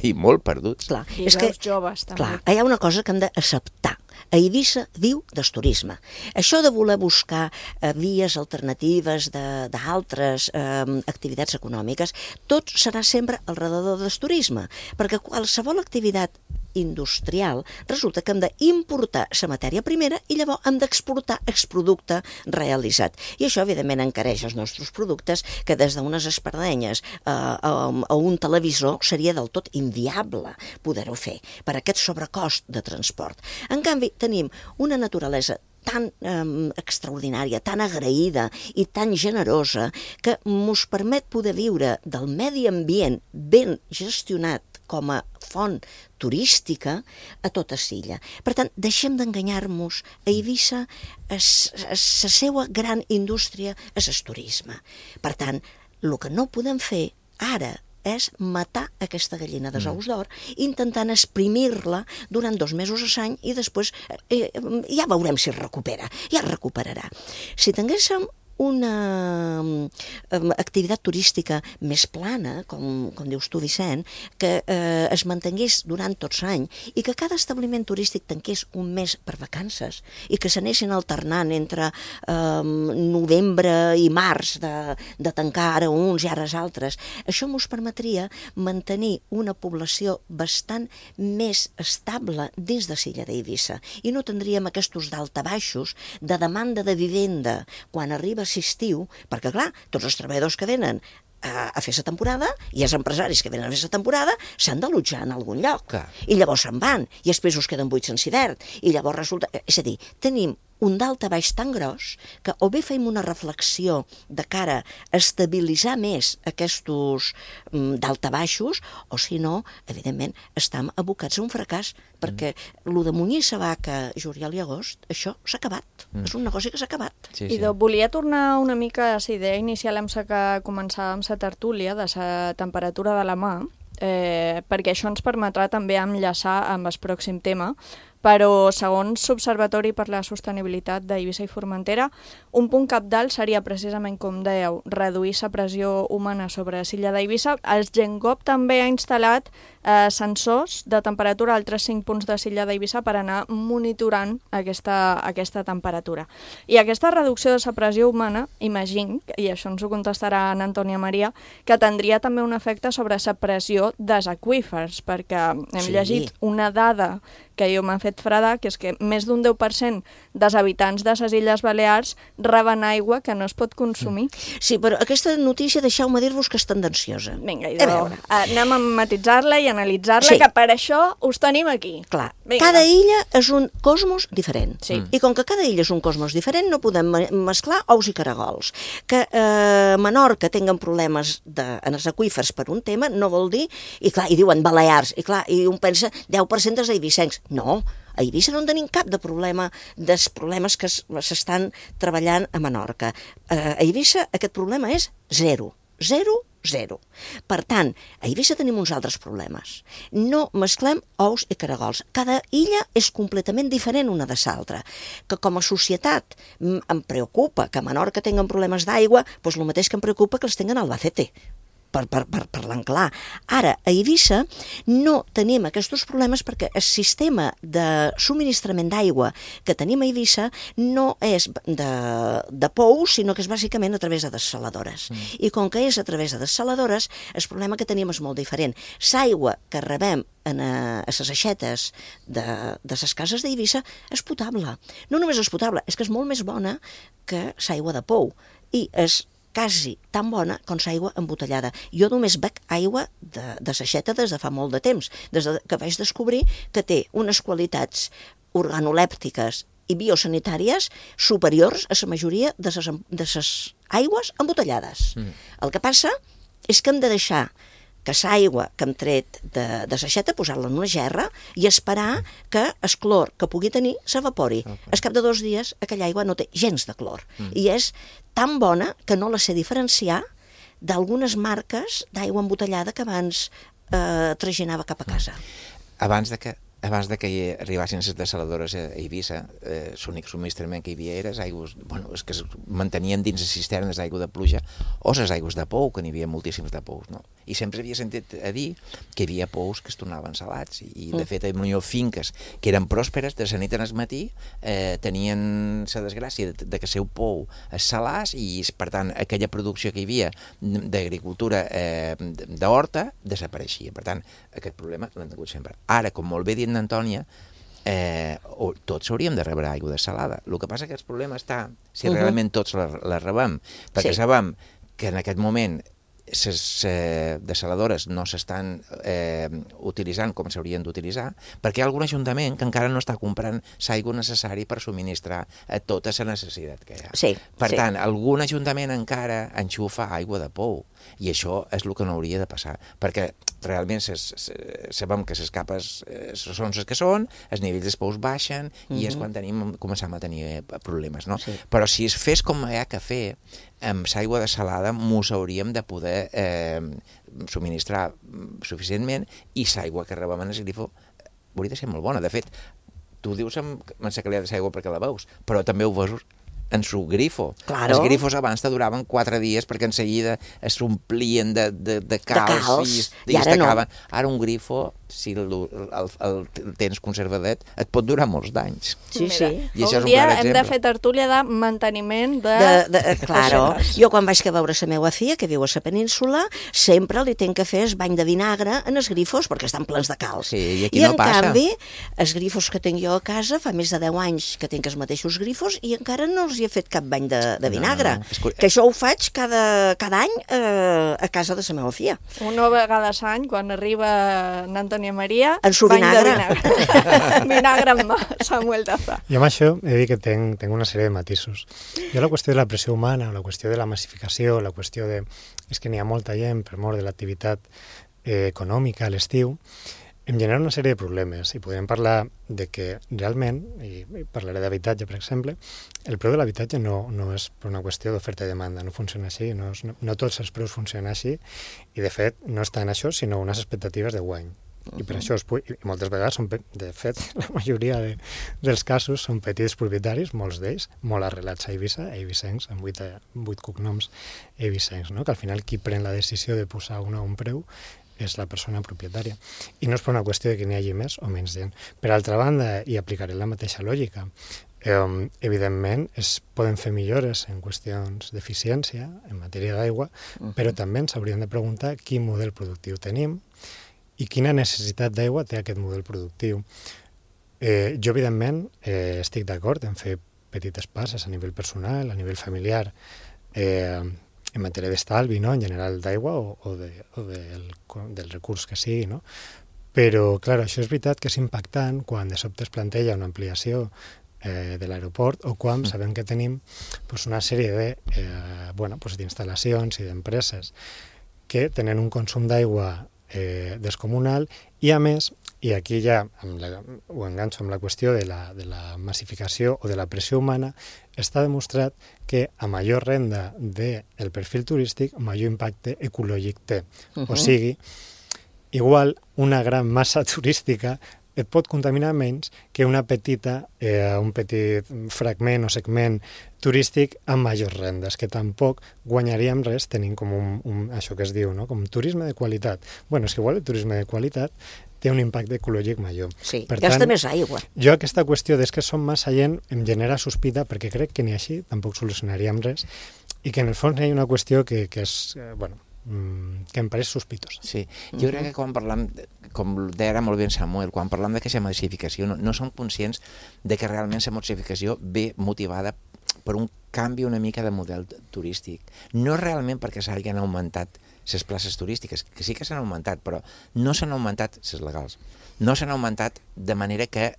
P: i molt perduts.
D: I veus joves, també.
Q: Clar, hi ha una cosa que hem d'acceptar. A Eivissa viu del turisme. Això de voler buscar vies alternatives d'altres activitats econòmiques, tot serà sempre al redador del turisme, perquè qualsevol activitat industrial resulta que hem d'importar la matèria primera i llavors hem d'exportar el producte realitzat. I això, evidentment, encareix els nostres productes, que des d'unes espardenyes a un televisor seria del tot inviable poder-ho fer per aquest sobrecost de transport. En canvi, tenim una naturalesa tan extraordinària, tan agraïda i tan generosa que ens permet poder viure del medi ambient ben gestionat com a font turística a tota l'illa. Per tant, deixem d'enganyar-nos. A Eivissa, la seva gran indústria és el turisme. Per tant, el que no podem fer ara és matar aquesta gallina dels ous d'or, intentant exprimir-la durant 2 mesos a l'any i després ja veurem si es recupera. Ja es recuperarà. Si tinguéssim una activitat turística més plana, com dius tu, Vicent, que es mantingués durant tot l'any i que cada establiment turístic tanqués un mes per vacances i que s'anessin alternant entre novembre i març de tancar ara uns i ara els altres, això ens permetria mantenir una població bastant més estable dins de l'illa d'Eivissa i no tindríem aquests daltabaixos de demanda de vivenda quan arriba l'estiu, perquè clar, tots els treballadors que venen a fer la temporada i els empresaris que venen a fer la temporada s'han d'allotjar en algun lloc. I llavors se'n van, i els pisos queden buits en hivern, i llavors resulta... És a dir, tenim un daltabaix tan gros que o bé fem una reflexió de cara a estabilitzar més aquests daltabaixos, o si no, evidentment, estem abocats a un fracàs, perquè el de munyir la vaca juliol i agost, això s'ha acabat. És un negoci que s'ha acabat.
D: I volia tornar una mica a la idea inicial amb la que començàvem la tertúlia, de la temperatura de la mà, perquè això ens permetrà també enllaçar amb el pròxim tema, però segons l'Observatori per la Sostenibilitat d'Eivissa i Formentera, un punt cabdal seria precisament, com dèieu, reduir la pressió humana sobre l'illa d'Eivissa. El GENGOP també ha instal·lat sensors de temperatura a altres 5 punts de l'illa d'Eivissa per anar monitorant aquesta temperatura. I aquesta reducció de la pressió humana, imagino, i això ens ho contestarà en Antònia Maria, que tindria també un efecte sobre la pressió dels aqüífers, perquè hem llegit una dada que jo m'ha fet fredar, que és que més d'un 10% dels habitants de les Illes Balears reben aigua que no es pot consumir.
Q: Sí, però aquesta notícia, deixeu-me dir-vos que és tendenciosa.
D: Vinga, anem a matitzar-la i analitzar-la, que per això us tenim aquí.
Q: Clar, cada illa és un cosmos diferent. I com que cada illa és un cosmos diferent, no podem mesclar ous i caragols. Que Menorca tinguen problemes en els aqüífers per un tema no vol dir, i clar, i diuen Balears, i clar, i un pensa 10% dels eivissencs. No, a Eivissa no en tenim cap de problema dels problemes que s'estan treballant a Menorca. A Eivissa aquest problema és zero. Per tant, a Eivissa tenim uns altres problemes. No mesclem ous i caragols. Cada illa és completament diferent una de l'altra. Que com a societat em preocupa que a Menorca tinguen problemes d'aigua, doncs el mateix que em preocupa que els tinguen a Albacete. Parlant clar. Ara, a Eivissa no tenim aquests problemes perquè el sistema de subministrament d'aigua que tenim a Eivissa no és de pou, sinó que és bàsicament a través de dessaladores. I com que és a través de dessaladores, el problema que tenim és molt diferent. L'aigua que rebem a les aixetes de les cases d'Eivissa és potable. No només és potable, és que és molt més bona que l'aigua de pou. I és quasi tan bona com l'aigua embotellada. Jo només bec aigua de l'aixeta des de fa molt de temps, des que vaig descobrir que té unes qualitats organolèptiques i biosanitàries superiors a la majoria de les aigües embotellades. El que passa és que hem de deixar que l'aigua que hem tret de la xeta, posar-la en una gerra i esperar que el clor que pugui tenir s'evapori. Al cap de 2 dies aquella aigua no té gens de clor i és tan bona que no la sé diferenciar d'algunes marques d'aigua embotellada que abans traginava cap a casa.
P: Abans de que hi arribassin les desaladores a Eivissa, l'únic subministrament que hi havia era les aigües, que es mantenien dins les cisternes d'aigua de pluja o les aigües de pou, que n'hi havia moltíssims de pous, no? I sempre havia sentit a dir que hi havia pous que es tornaven salats i de fet hi havia finques que eren pròsperes, de la nit al matí tenien la desgràcia de que el seu pou es salàs i per tant aquella producció que hi havia d'agricultura d'horta desapareixia. Per tant, aquest problema l'hem tingut sempre. Ara, com molt bé dit n'Antònia, tots hauríem de rebre aigua desalada. El que passa que el problema està si realment tots la rebem, perquè sabem que en aquest moment les desaladores no s'estan utilitzant com s'haurien d'utilitzar, perquè hi ha algun ajuntament que encara no està comprant l'aigua necessària per subministrar a tota la necessitat que hi ha. Per tant, algun ajuntament encara enxufa aigua de pou, i això és el que no hauria de passar, perquè realment sabem que les capes són les que són, els nivells dels pous baixen i és quan comencem a tenir problemes, no? Però si es fes com hi ha que fer, amb l'aigua desalada mos hauríem de poder subministrar suficientment i l'aigua que rebem en el grifo hauria de ser molt bona. De fet, tu dius amb la qualitat de l'aigua perquè la veus, però també ho veus en su grifo. Els grifos abans te duraven 4 dies perquè en seguida s'omplien de calç i es tacaven. Ara un grifo, si el tens conservadet, et pot durar molts d'anys.
D: Sí. Un dia hem de fer tertúlia de manteniment
Q: Claro. Jo quan vaig veure la meva filla, que viu a la península, sempre li tenc que fer el bany de vinagre en els grifos perquè estan plens de calç.
P: I en
Q: canvi, els grifos que tinc jo a casa, fa més de 10 anys que tinc els mateixos grifos i encara no els hi he fet cap bany de vinagre. Que això ho faig cada any a casa de la meva filla.
D: Una vegada a l'any, quan arriba Antònia Maria,
Q: en su vinagre.
D: Vinagre amb Samuel Daza.
R: Jo amb això he de dir que tinc una sèrie de matisos. Jo la qüestió de la pressió humana, la qüestió de la massificació, la qüestió de... és que n'hi ha molta gent per mort de l'activitat econòmica a l'estiu, em genera una sèrie de problemes i podem parlar de que realment, i parlaré d'habitatge per exemple, el preu de l'habitatge no és per una qüestió d'oferta i demanda, no funciona així, no tots els preus funcionen així i de fet no està en això sinó unes expectatives de guany. I per això i moltes vegades, de fet, la majoria dels casos són petits propietaris, molts d'ells, molt arrelats a Eivissa, eivissencs, amb 8 cognoms eivissencs, no? Que al final qui pren la decisió de posar un preu és la persona propietària. I no és per una qüestió de que n'hi hagi més o menys gent. Per altra banda, i aplicaré la mateixa lògica, evidentment es poden fer millores en qüestions d'eficiència en matèria d'aigua, però també ens hauríem de preguntar quin model productiu tenim i quina necessitat d'aigua té aquest model productiu. Jo, evidentment, estic d'acord en fer petites passes a nivell personal, a nivell familiar, en matèria d'estalvi, no? En general d'aigua o del recurs que sigui, no? Però, clar, això és veritat que és impactant quan de sobte es planteja una ampliació de l'aeroport o quan sabem que tenim una sèrie d'instal·lacions i d'empreses que tenen un consum d'aigua descomunal i a més, i aquí ja ho enganxo amb la qüestió de la massificació o de la pressió humana, està demostrat que a major renda del perfil turístic, major impacte ecològic té. O sigui, igual una gran massa turística et pot contaminar menys que un petit fragment o segment turístic amb majors rendes, que tampoc guanyaríem res tenint com això que es diu, no? Com turisme de qualitat. Bueno, és que igual el turisme de qualitat té un impacte ecològic major.
Q: Sí, gasta més aigua.
R: Jo aquesta qüestió que som massa gent em genera sospita perquè crec que ni així tampoc solucionaríem res i que en el fons hi ha una qüestió que és, que em pareix sospitosa.
P: Sí, jo crec que quan parlam, com deia molt bé Samuel, quan parlam d'aquesta massificació no som conscients de que realment la massificació ve motivada per un canvi una mica de model turístic. No realment perquè s'hagin augmentat les places turístiques, que sí que s'han augmentat, però no s'han augmentat les legals. No s'han augmentat de manera que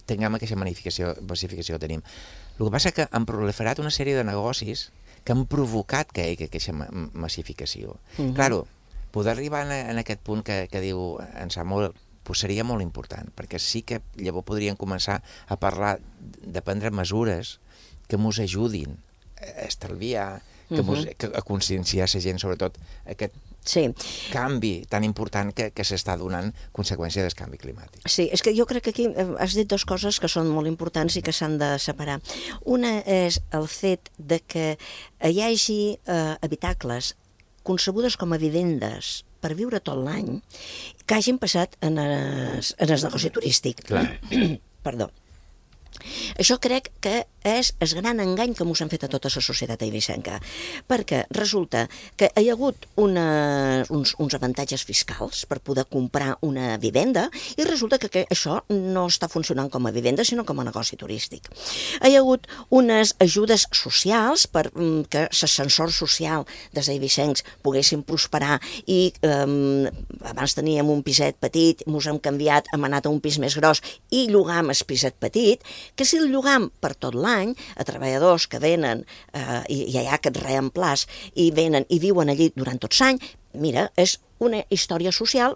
P: tinguem aquesta massificació que tenim. El que passa és que han proliferat una sèrie de negocis que han provocat que hi hagi aquesta massificació. Claro, poder arribar en aquest punt que diu en Samuel, pues seria molt important, perquè sí que llavors podríem començar a parlar de prendre mesures que ens ajudin a estalviar, a conscienciar la gent, sobretot aquest canvi tan important que s'està donant conseqüència del canvi climàtic.
Q: Sí, és que jo crec que aquí has dit dues coses que són molt importants i que s'han de separar. Una és el fet de que hi hagi habitacles concebudes com a vivendes per viure tot l'any que hagin passat en el negoci turístic. Perdó. Això crec que és el gran engany que ens han fet a tota la societat eivissenca, perquè resulta que hi ha hagut uns avantatges fiscals per poder comprar una vivenda i resulta que això no està funcionant com a vivenda sinó com a negoci turístic. Hi ha hagut unes ajudes socials perquè l'ascensor social dels eivissencs poguessin prosperar i abans teníem un piset petit, ens hem canviat, hem anat a un pis més gros i llogam el piset petit, que si el llogam per tot l'any a treballadors que venen i hi ha aquest reemplaç i venen i viuen allí durant tot l'any, mira, és una història social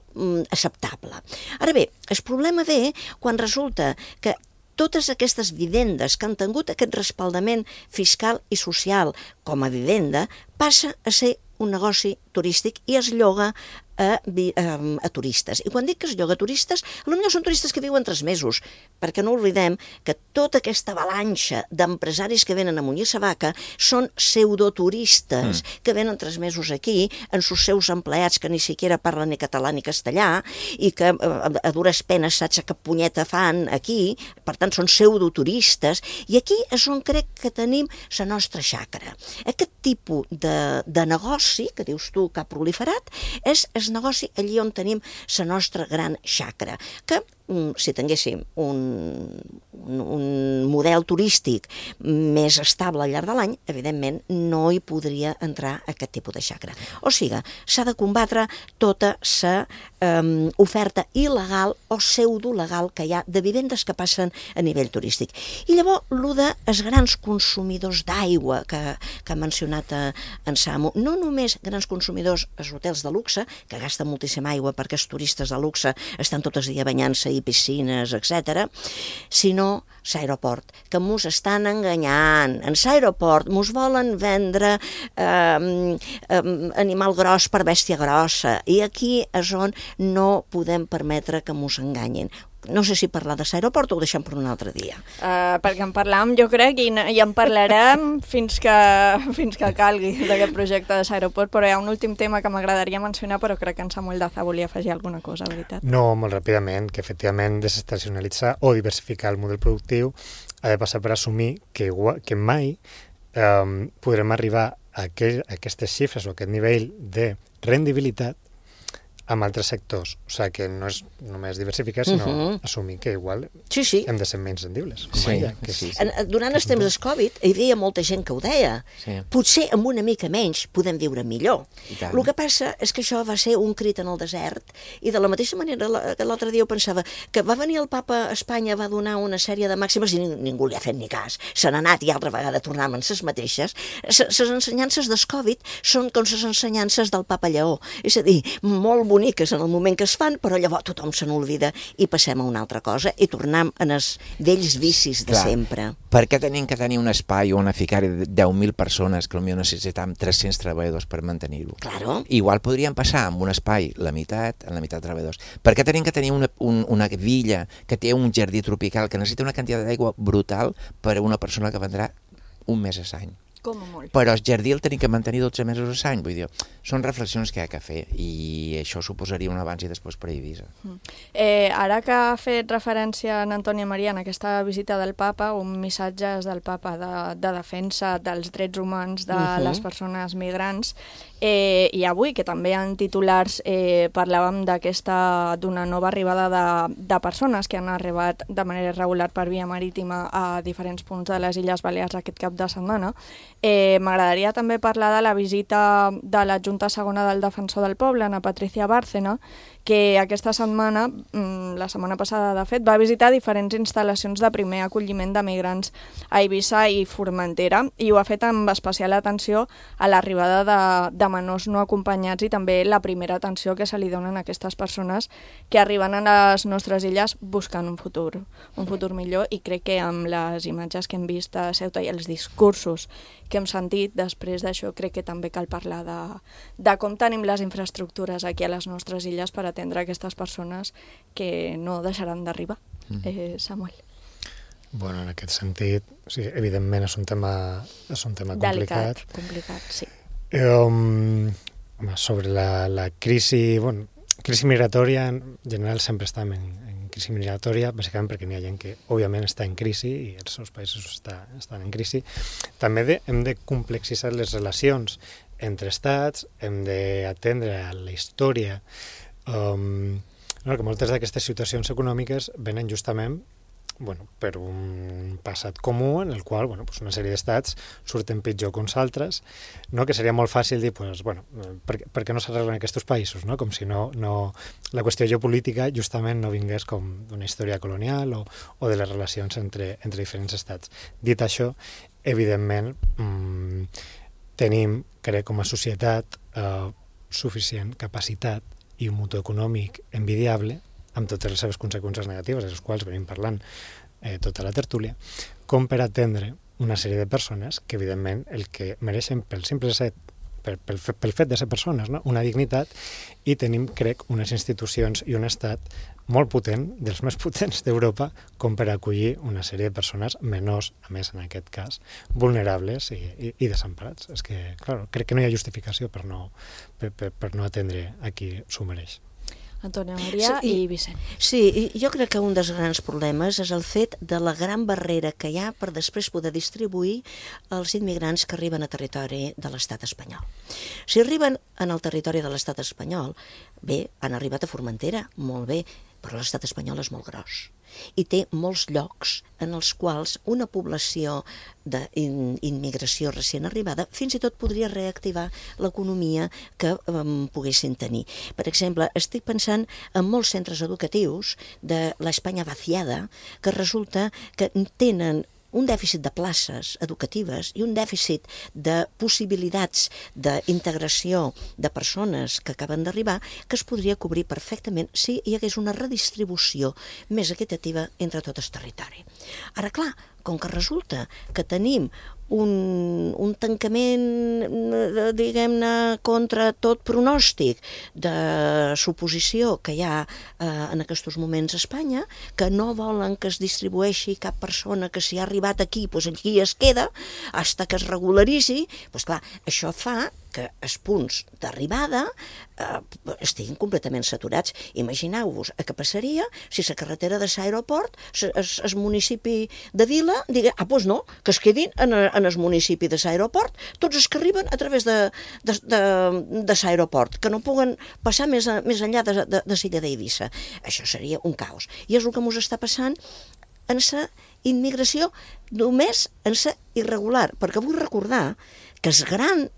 Q: acceptable. Ara bé, el problema ve quan resulta que totes aquestes vivendes que han tingut aquest respaldament fiscal i social com a vivenda passa a ser un negoci turístic i es lloga a turistes. I quan dic que es lloga a turistes, potser són turistes que viuen 3 mesos, perquè no oblidem que tota aquesta avalanxa d'empresaris que venen a Munyir Savaca són pseudoturistes que venen 3 mesos aquí amb els seus empleats que ni siquiera parlen ni català ni castellà i que a dures penes saps que punyeta fan aquí, per tant són pseudoturistes, i aquí és on crec que tenim la nostra xacra. Aquest tipus de negoci, que dius tu que ha proliferat, és el negoci allí on tenim la nostra gran xacra, que si tinguéssim un model turístic més estable al llarg de l'any, evidentment no hi podria entrar aquest tipus de xacra. O sigui, s'ha de combatre tota la oferta il·legal o pseudolegal que hi ha de vivendes que passen a nivell turístic. I llavors, el dels grans consumidors d'aigua que ha mencionat en Samu, no només grans consumidors als hotels de luxe, que gasten moltíssima aigua perquè els turistes de luxe estan tot el dia banyant-se i piscines, etc., sinó l'aeroport, que mos estan enganyant. En l'aeroport mos volen vendre animal gros per bèstia grossa, i aquí és on no podem permetre que mos enganyin. No sé si parlar de l'aeroport o ho deixem per un altre dia.
D: Perquè en parlàvem, jo crec, i en parlarem fins que calgui d'aquest projecte de l'aeroport, però hi ha un últim tema que m'agradaria mencionar, però crec que en Samuel Daza volia afegir alguna cosa, veritat?
R: No, molt ràpidament, que efectivament desestacionalitzar o diversificar el model productiu ha de passar per assumir que mai podrem arribar a aquestes xifres o a aquest nivell de rendibilitat amb altres sectors. O sigui, que no és només diversificar, sinó assumir que igual hem de ser menys rendibles.
Q: Durant els temps del Covid hi havia molta gent que ho deia. Potser amb una mica menys podem viure millor. El que passa és que això va ser un crit en el desert, i de la mateixa manera que l'altre dia ho pensava, que va venir el papa a Espanya, va donar una sèrie de màximes i ningú li ha fet ni cas. Se n'ha anat i altra vegada tornàvem en les mateixes. Les ensenyances del Covid són com les ensenyances del papa Lleó. És a dir, molt boniques en el moment que es fan, però llavors tothom se n'olvida i passem a una altra cosa i tornem en els vells vicis de sempre.
P: Per què tenim que tenir un espai on ficar 10.000 persones que potser necessitem 300 treballadors per mantenir-ho? Igual podríem passar amb un espai la meitat de treballadors. Per què tenim que tenir una villa que té un jardí tropical que necessita una quantitat d'aigua brutal per a una persona que vendrà un mes a l'any?
D: Com a molt.
P: Però el jardí el tenim que mantenir 12 mesos a l'any, vull dir, són reflexions que hi ha que fer i això suposaria un abans i després per Eivissa.
D: Ara que ha fet referència en Antònia Maria en aquesta visita del papa, un missatge del papa de defensa dels drets humans de les persones migrants, i avui, que també en titulars parlàvem d'una nova arribada de persones que han arribat de manera irregular per via marítima a diferents punts de les Illes Balears aquest cap de setmana. M'agradaria també parlar de la visita de l'adjunta segona del Defensor del Poble, Ana Patricia Bárcena, que aquesta setmana, la setmana passada de fet, va visitar diferents instal·lacions de primer acolliment de migrants a Eivissa i Formentera, i ho ha fet amb especial atenció a l'arribada de menors no acompanyats i també la primera atenció que se li donen a aquestes persones que arriben a les nostres illes buscant un futur millor, i crec que amb les imatges que hem vist a Ceuta i els discursos que hem sentit després d'això, crec que també cal parlar de com tenim les infraestructures aquí a les nostres illes per atendre aquestes persones que no deixaran d'arribar. Samuel.
R: Bueno, en aquest sentit, sí, evidentment és un tema complicat.
D: Complicat, sí.
R: Sobre la crisi, crisi migratòria, en general sempre estem en crisi migratòria, bàsicament perquè n'hi ha gent que, òbviament, està en crisi i els seus països estan en crisi. També hem de complexitzar les relacions entre estats, hem d'atendre a la història, que moltes d'aquestes situacions econòmiques venen justament per un passat comú en el qual una sèrie d'estats surten pitjor que uns altres, que seria molt fàcil dir per què no s'arreglen aquests països, com si no la qüestió geopolítica justament no vingués com d'una història colonial o de les relacions entre diferents estats. Dit això, evidentment tenim, crec, com a societat suficient capacitat i un motor econòmic envidiable amb totes les seves conseqüències negatives, de les quals venim parlant tota la tertúlia, com per atendre una sèrie de persones que, evidentment, el que mereixen pel fet de ser persones, una dignitat, i tenim, crec, unes institucions i un estat molt potent, dels més potents d'Europa, com per acollir una sèrie de persones menors, a més, en aquest cas, vulnerables i desemparats. És que, clar, crec que no hi ha justificació per no atendre a qui s'ho mereix.
D: Antònia Maria i Vicent.
Q: Sí, jo crec que un dels grans problemes és el fet de la gran barrera que hi ha per després poder distribuir els immigrants que arriben a territori de l'estat espanyol. Si arriben en el territori de l'estat espanyol, bé, han arribat a Formentera, molt bé, però l'estat espanyol és molt gros i té molts llocs en els quals una població d'immigració recient arribada fins i tot podria reactivar l'economia que poguessin tenir. Per exemple, estic pensant en molts centres educatius de l'Espanya vaciada que resulta que tenen un dèficit de places educatives i un dèficit de possibilitats d'integració de persones que acaben d'arribar que es podria cobrir perfectament si hi hagués una redistribució més equitativa entre tot el territori. Ara, clar, com que resulta que tenim un tancament, diguem-ne, contra tot pronòstic de suposició que hi ha en aquests moments a Espanya, que no volen que es distribueixi cap persona que si ha arribat aquí, doncs aquí es queda, fins que es regularitzi, doncs clar, això fa que els punts d'arribada estiguin completament saturats. Imagineu-vos què passaria si la carretera de l'aeroport, el municipi de Vila, digui, doncs no, que es quedin en el municipi de l'aeroport, tots els que arriben a través de l'aeroport, que no puguen passar més enllà de l'illa d'Eivissa. Això seria un caos. I és el que ens està passant en la immigració, només en la irregular, perquè vull recordar que el gran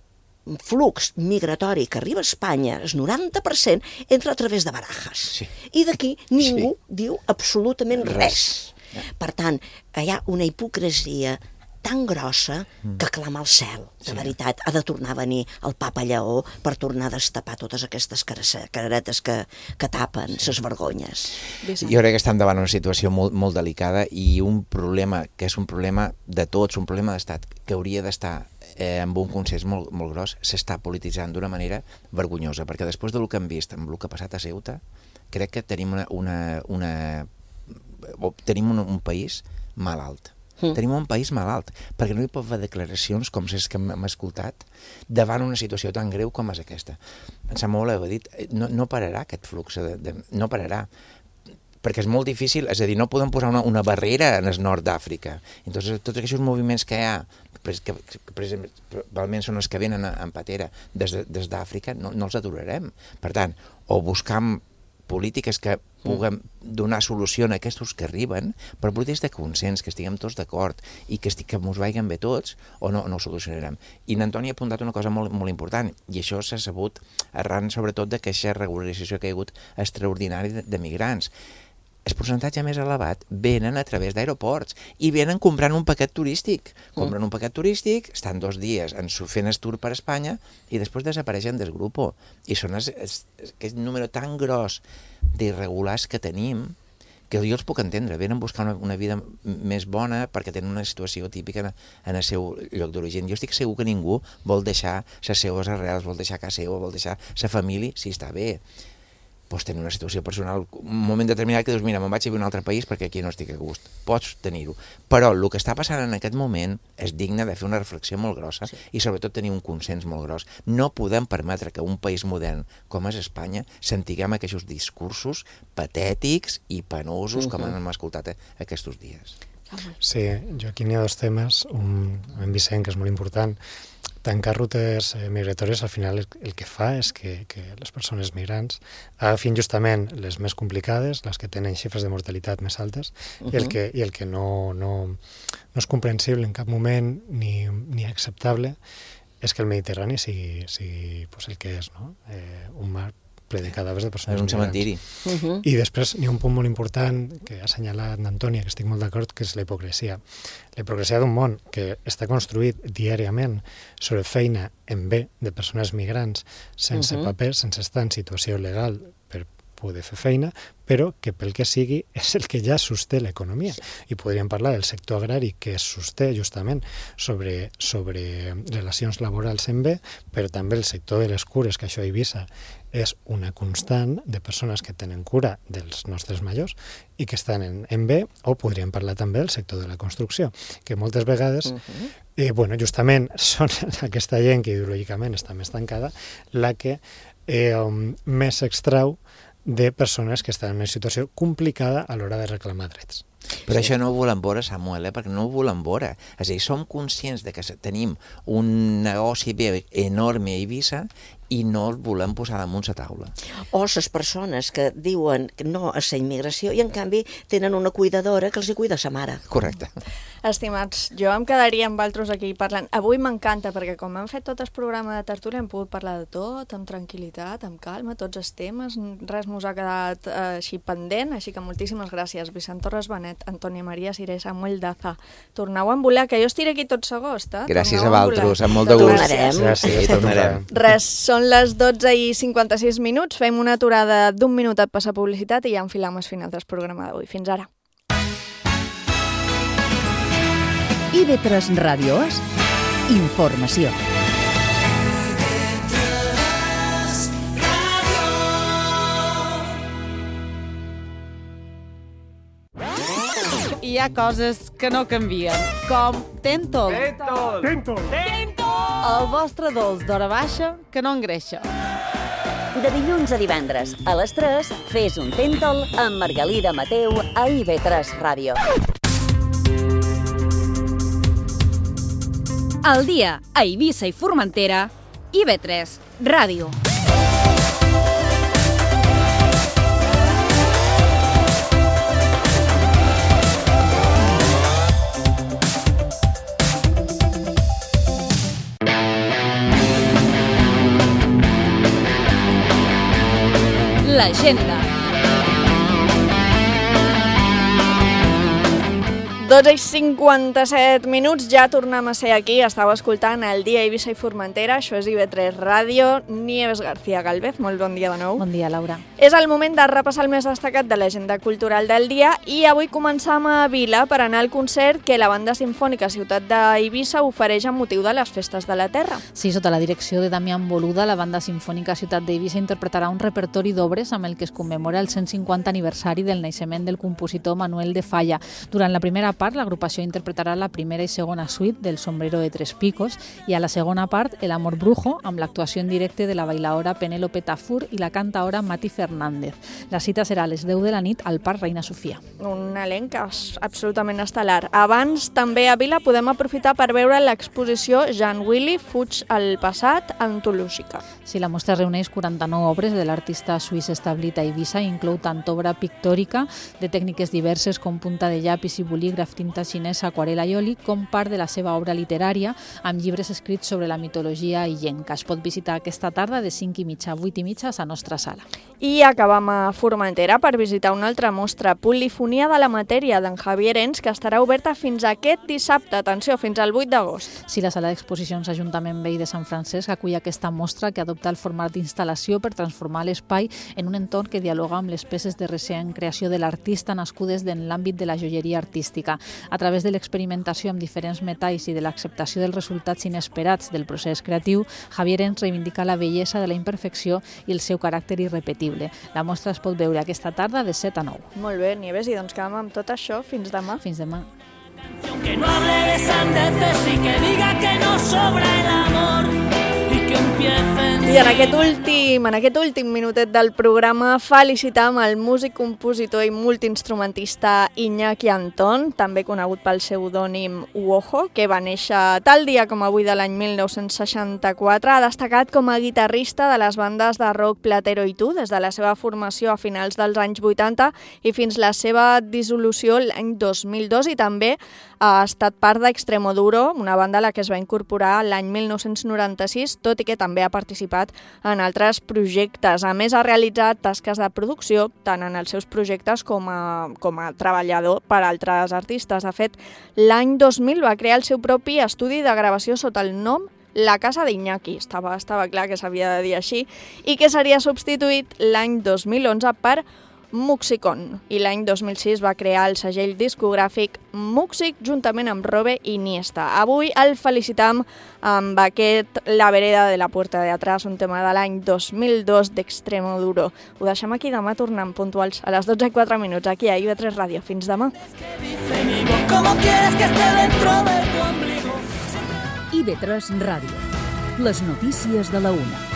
Q: flux migratori que arriba a Espanya, el 90%, entra a través de Barajas. Sí. I d'aquí ningú diu absolutament res. Per tant, hi ha una hipocresia tan grossa que clama al cel. De veritat, ha de tornar a venir el papa Lleó per tornar a destapar totes aquestes careretes que tapen les vergonyes.
P: Jo crec que estem davant una situació molt delicada i un problema que és un problema de tots, un problema d'estat, que hauria d'estar amb un consens molt gros, s'està polititzant d'una manera vergonyosa, perquè després del que hem vist amb el que ha passat a Ceuta, crec que tenim un país malalt. Tenim un país malalt, perquè no hi pot haver declaracions com les que hem escoltat davant una situació tan greu com és aquesta. En Samuel ho ha dit, no pararà aquest flux, no pararà, perquè és molt difícil, és a dir, no podem posar una barrera en el nord d'Àfrica. Entonces, tots aquests moviments que hi ha, que probablement són els que venen en patera des d'Àfrica, no els aturarem. Per tant, o buscam polítiques que puguem donar solució a aquests que arriben, però polítiques de consens, que estiguem tots d'acord i que ens vagin bé tots, o no ho solucionarem. I n'Antoni ha apuntat una cosa molt important, i això s'ha sabut arran sobretot d'aquesta regularització que hi ha hagut extraordinària de migrants. el percentatge més elevat venen a través d'aeroports i venen comprant un paquet turístic. Compren un paquet turístic, estan 2 dies fent el tour per Espanya i després desapareixen del grup. I són aquest número tan gros d'irregulars que tenim que jo els puc entendre, venen a buscar una vida més bona perquè tenen una situació típica en el seu lloc d'origen. Jo estic segur que ningú vol deixar les seues arrels, vol deixar casa seva, vol deixar la família, si està bé. Pots tenir una situació personal, un moment determinat que dius, mira, me'n vaig a viure a un altre país perquè aquí no estic a gust. Pots tenir-ho. Però el que està passant en aquest moment és digne de fer una reflexió molt grossa i sobretot tenir un consens molt gros. No podem permetre que un país modern com és Espanya sentiguem aquests discursos patètics i penosos com hem escoltat aquests dies.
R: Sí, jo aquí n'hi ha 2 temes. Un, en Vicent, que és molt important. Tancar rutes migratòries al final el que fa és que les persones migrants agafin justament les més complicades, les que tenen xifres de mortalitat més altes, i el que no és comprensible en cap moment ni acceptable és que el Mediterrani sigui pues, el que és, no? Un mar ple de cadàvers de persones
P: migrants. És un cementiri.
R: I després n'hi ha un punt molt important que ha assenyalat Antònia, que estic molt d'acord, que és la hipocresia. La hipocresia d'un món que està construït diàriament sobre feina en bé de persones migrants sense papers, sense estar en situació legal per poder fer feina, però que pel que sigui és el que ja sosté l'economia. I podríem parlar del sector agrari que es sosté justament sobre relacions laborals en bé, però també el sector de les cures, que això a Eivissa és una constant de persones que tenen cura dels nostres majors i que estan en bé, o podríem parlar també del sector de la construcció, que moltes vegades justament són aquesta gent que ideològicament està més tancada la que més s'extrau de persones que estan en una situació complicada a l'hora de reclamar drets.
P: Però això no ho volem veure, Samuel, perquè no ho volem veure. És a dir, som conscients de que tenim un negoci enorme a Eivissa i no el volem posar damunt la taula.
Q: O les persones que diuen no a la immigració i en canvi tenen una cuidadora que els hi cuida sa mare.
P: Correcte.
D: Estimats, jo em quedaria amb altres aquí parlant. Avui m'encanta perquè com hem fet tot el programa de tertúlia hem pogut parlar de tot, amb tranquil·litat, amb calma, tots els temes, res mos ha quedat així pendent, així que moltíssimes gràcies. Vicent Torres Benet, Antònia Maria Siré, Samuel Daza. Torneu a volar, que jo estiré aquí tot l'agost.
P: Gràcies a vosaltres, amb molt de gust.
Q: Gràcies.
P: Tornarem.
D: Res, són les 12:56, fem una aturada d'1 minutet per la publicitat i ja enfilam el final del programa d'avui. Fins ara.
B: IB3 Ràdios, informació.
S: Hi ha coses que no canvien, com Tentol. El vostre dolç d'hora baixa que no engreixa.
O: De dilluns a divendres, a les 3, fes un Tentol amb Margalida Mateu a IB3 Ràdio.
C: Al dia, a Eivissa i Formentera, IB3 Ràdio. L'agenda.
D: 12:57, ja tornem a ser aquí, estàu escoltant el dia Eivissa i Formentera, això és IB3 Ràdio. Nieves García Galvez, molt bon dia de nou.
E: Bon dia, Laura.
D: És el moment de repassar el més destacat de l'agenda cultural del dia i avui començam a Vila per anar al concert que la Banda Simfònica Ciutat d'Eivissa ofereix amb motiu de les Festes de la Terra.
E: Sí, sota la direcció de Damián Boluda, la Banda Simfònica Ciutat d'Eivissa interpretarà un repertori d'obres amb el que es commemora el 150 aniversari del naixement del compositor Manuel de Falla. Durant la primera part, l'agrupació interpretarà la primera i segona suite del Sombrero de Tres Picos i a la segona part, El Amor Brujo, amb l'actuació en directe de la bailaora Penélope Tafur i la cantaora Mati Fernández. La cita serà a les 10 de la nit al Parc Reina Sofia.
D: Un elenc absolutament estel·lar. Abans, també a Vila, podem aprofitar per veure l'exposició Jean Willy fuig al passat, antològica.
E: Sí, la mostra reuneix 49 obres de l'artista suís establit a Eivissa i inclou tant obra pictòrica de tècniques diverses com punta de llapis i bolígraf, tinta xinesa, aquarela i oli, com part de la seva obra literària amb llibres escrits sobre la mitologia illenca. Es pot visitar aquesta tarda de 5:30 a 8:30 a la nostra sala.
D: I acabam a Formentera per visitar una altra mostra, Polifonia de la matèria, d'en Javier Ens, que estarà oberta fins aquest dissabte, atenció, fins al 8 d'agost.
E: Sí, la sala d'exposicions Ajuntament Veí de Sant Francesc acull aquesta mostra que adopta el format d'instal·lació per transformar l'espai en un entorn que dialoga amb les peces de recent creació de l'artista nascudes en l'àmbit de la joieria artística. A través de l'experimentació amb diferents metalls i de l'acceptació dels resultats inesperats del procés creatiu, Javier Ens reivindica la bellesa de la imperfecció i el seu caràcter irrepetible. La mostra es pot veure aquesta tarda de 7 a 9.
D: Molt bé, Nieves, i doncs quedem amb tot això fins demà.
E: Fins demà.
T: Que no hable de sandeces y que diga que no sobra el amor y que empiecen...
D: I en aquest últim minutet del programa felicitam el músic, compositor i multiinstrumentista Iñaki Antón, també conegut pel pseudònim Uojo, que va néixer tal dia com avui de l'any 1964. Ha destacat com a guitarrista de les bandes de rock Platero i Tu des de la seva formació a finals dels anys 80 i fins la seva dissolució l'any 2002, i també ha estat part d'Extremoduro, una banda a la que es va incorporar l'any 1996, tot i que també ha participat en altres projectes. A més, ha realitzat tasques de producció tant en els seus projectes com a treballador per a altres artistes. De fet, l'any 2000 va crear el seu propi estudi de gravació sota el nom La Casa d'Iñaki, estava clar que s'havia de dir així, i que seria substituït l'any 2011 per Muxicon, i l'any 2006 va crear el segell discogràfic Muxic juntament amb Robe Iniesta. Avui el felicitam amb aquest La vereda de la puerta de atrás, un tema de l'any 2002 d'Extremoduro. Ho deixem aquí, demà tornem puntuals a les 12:04 aquí a IB3 Ràdio. Fins demà.
B: IB3 Ràdio. Les notícies de la 1.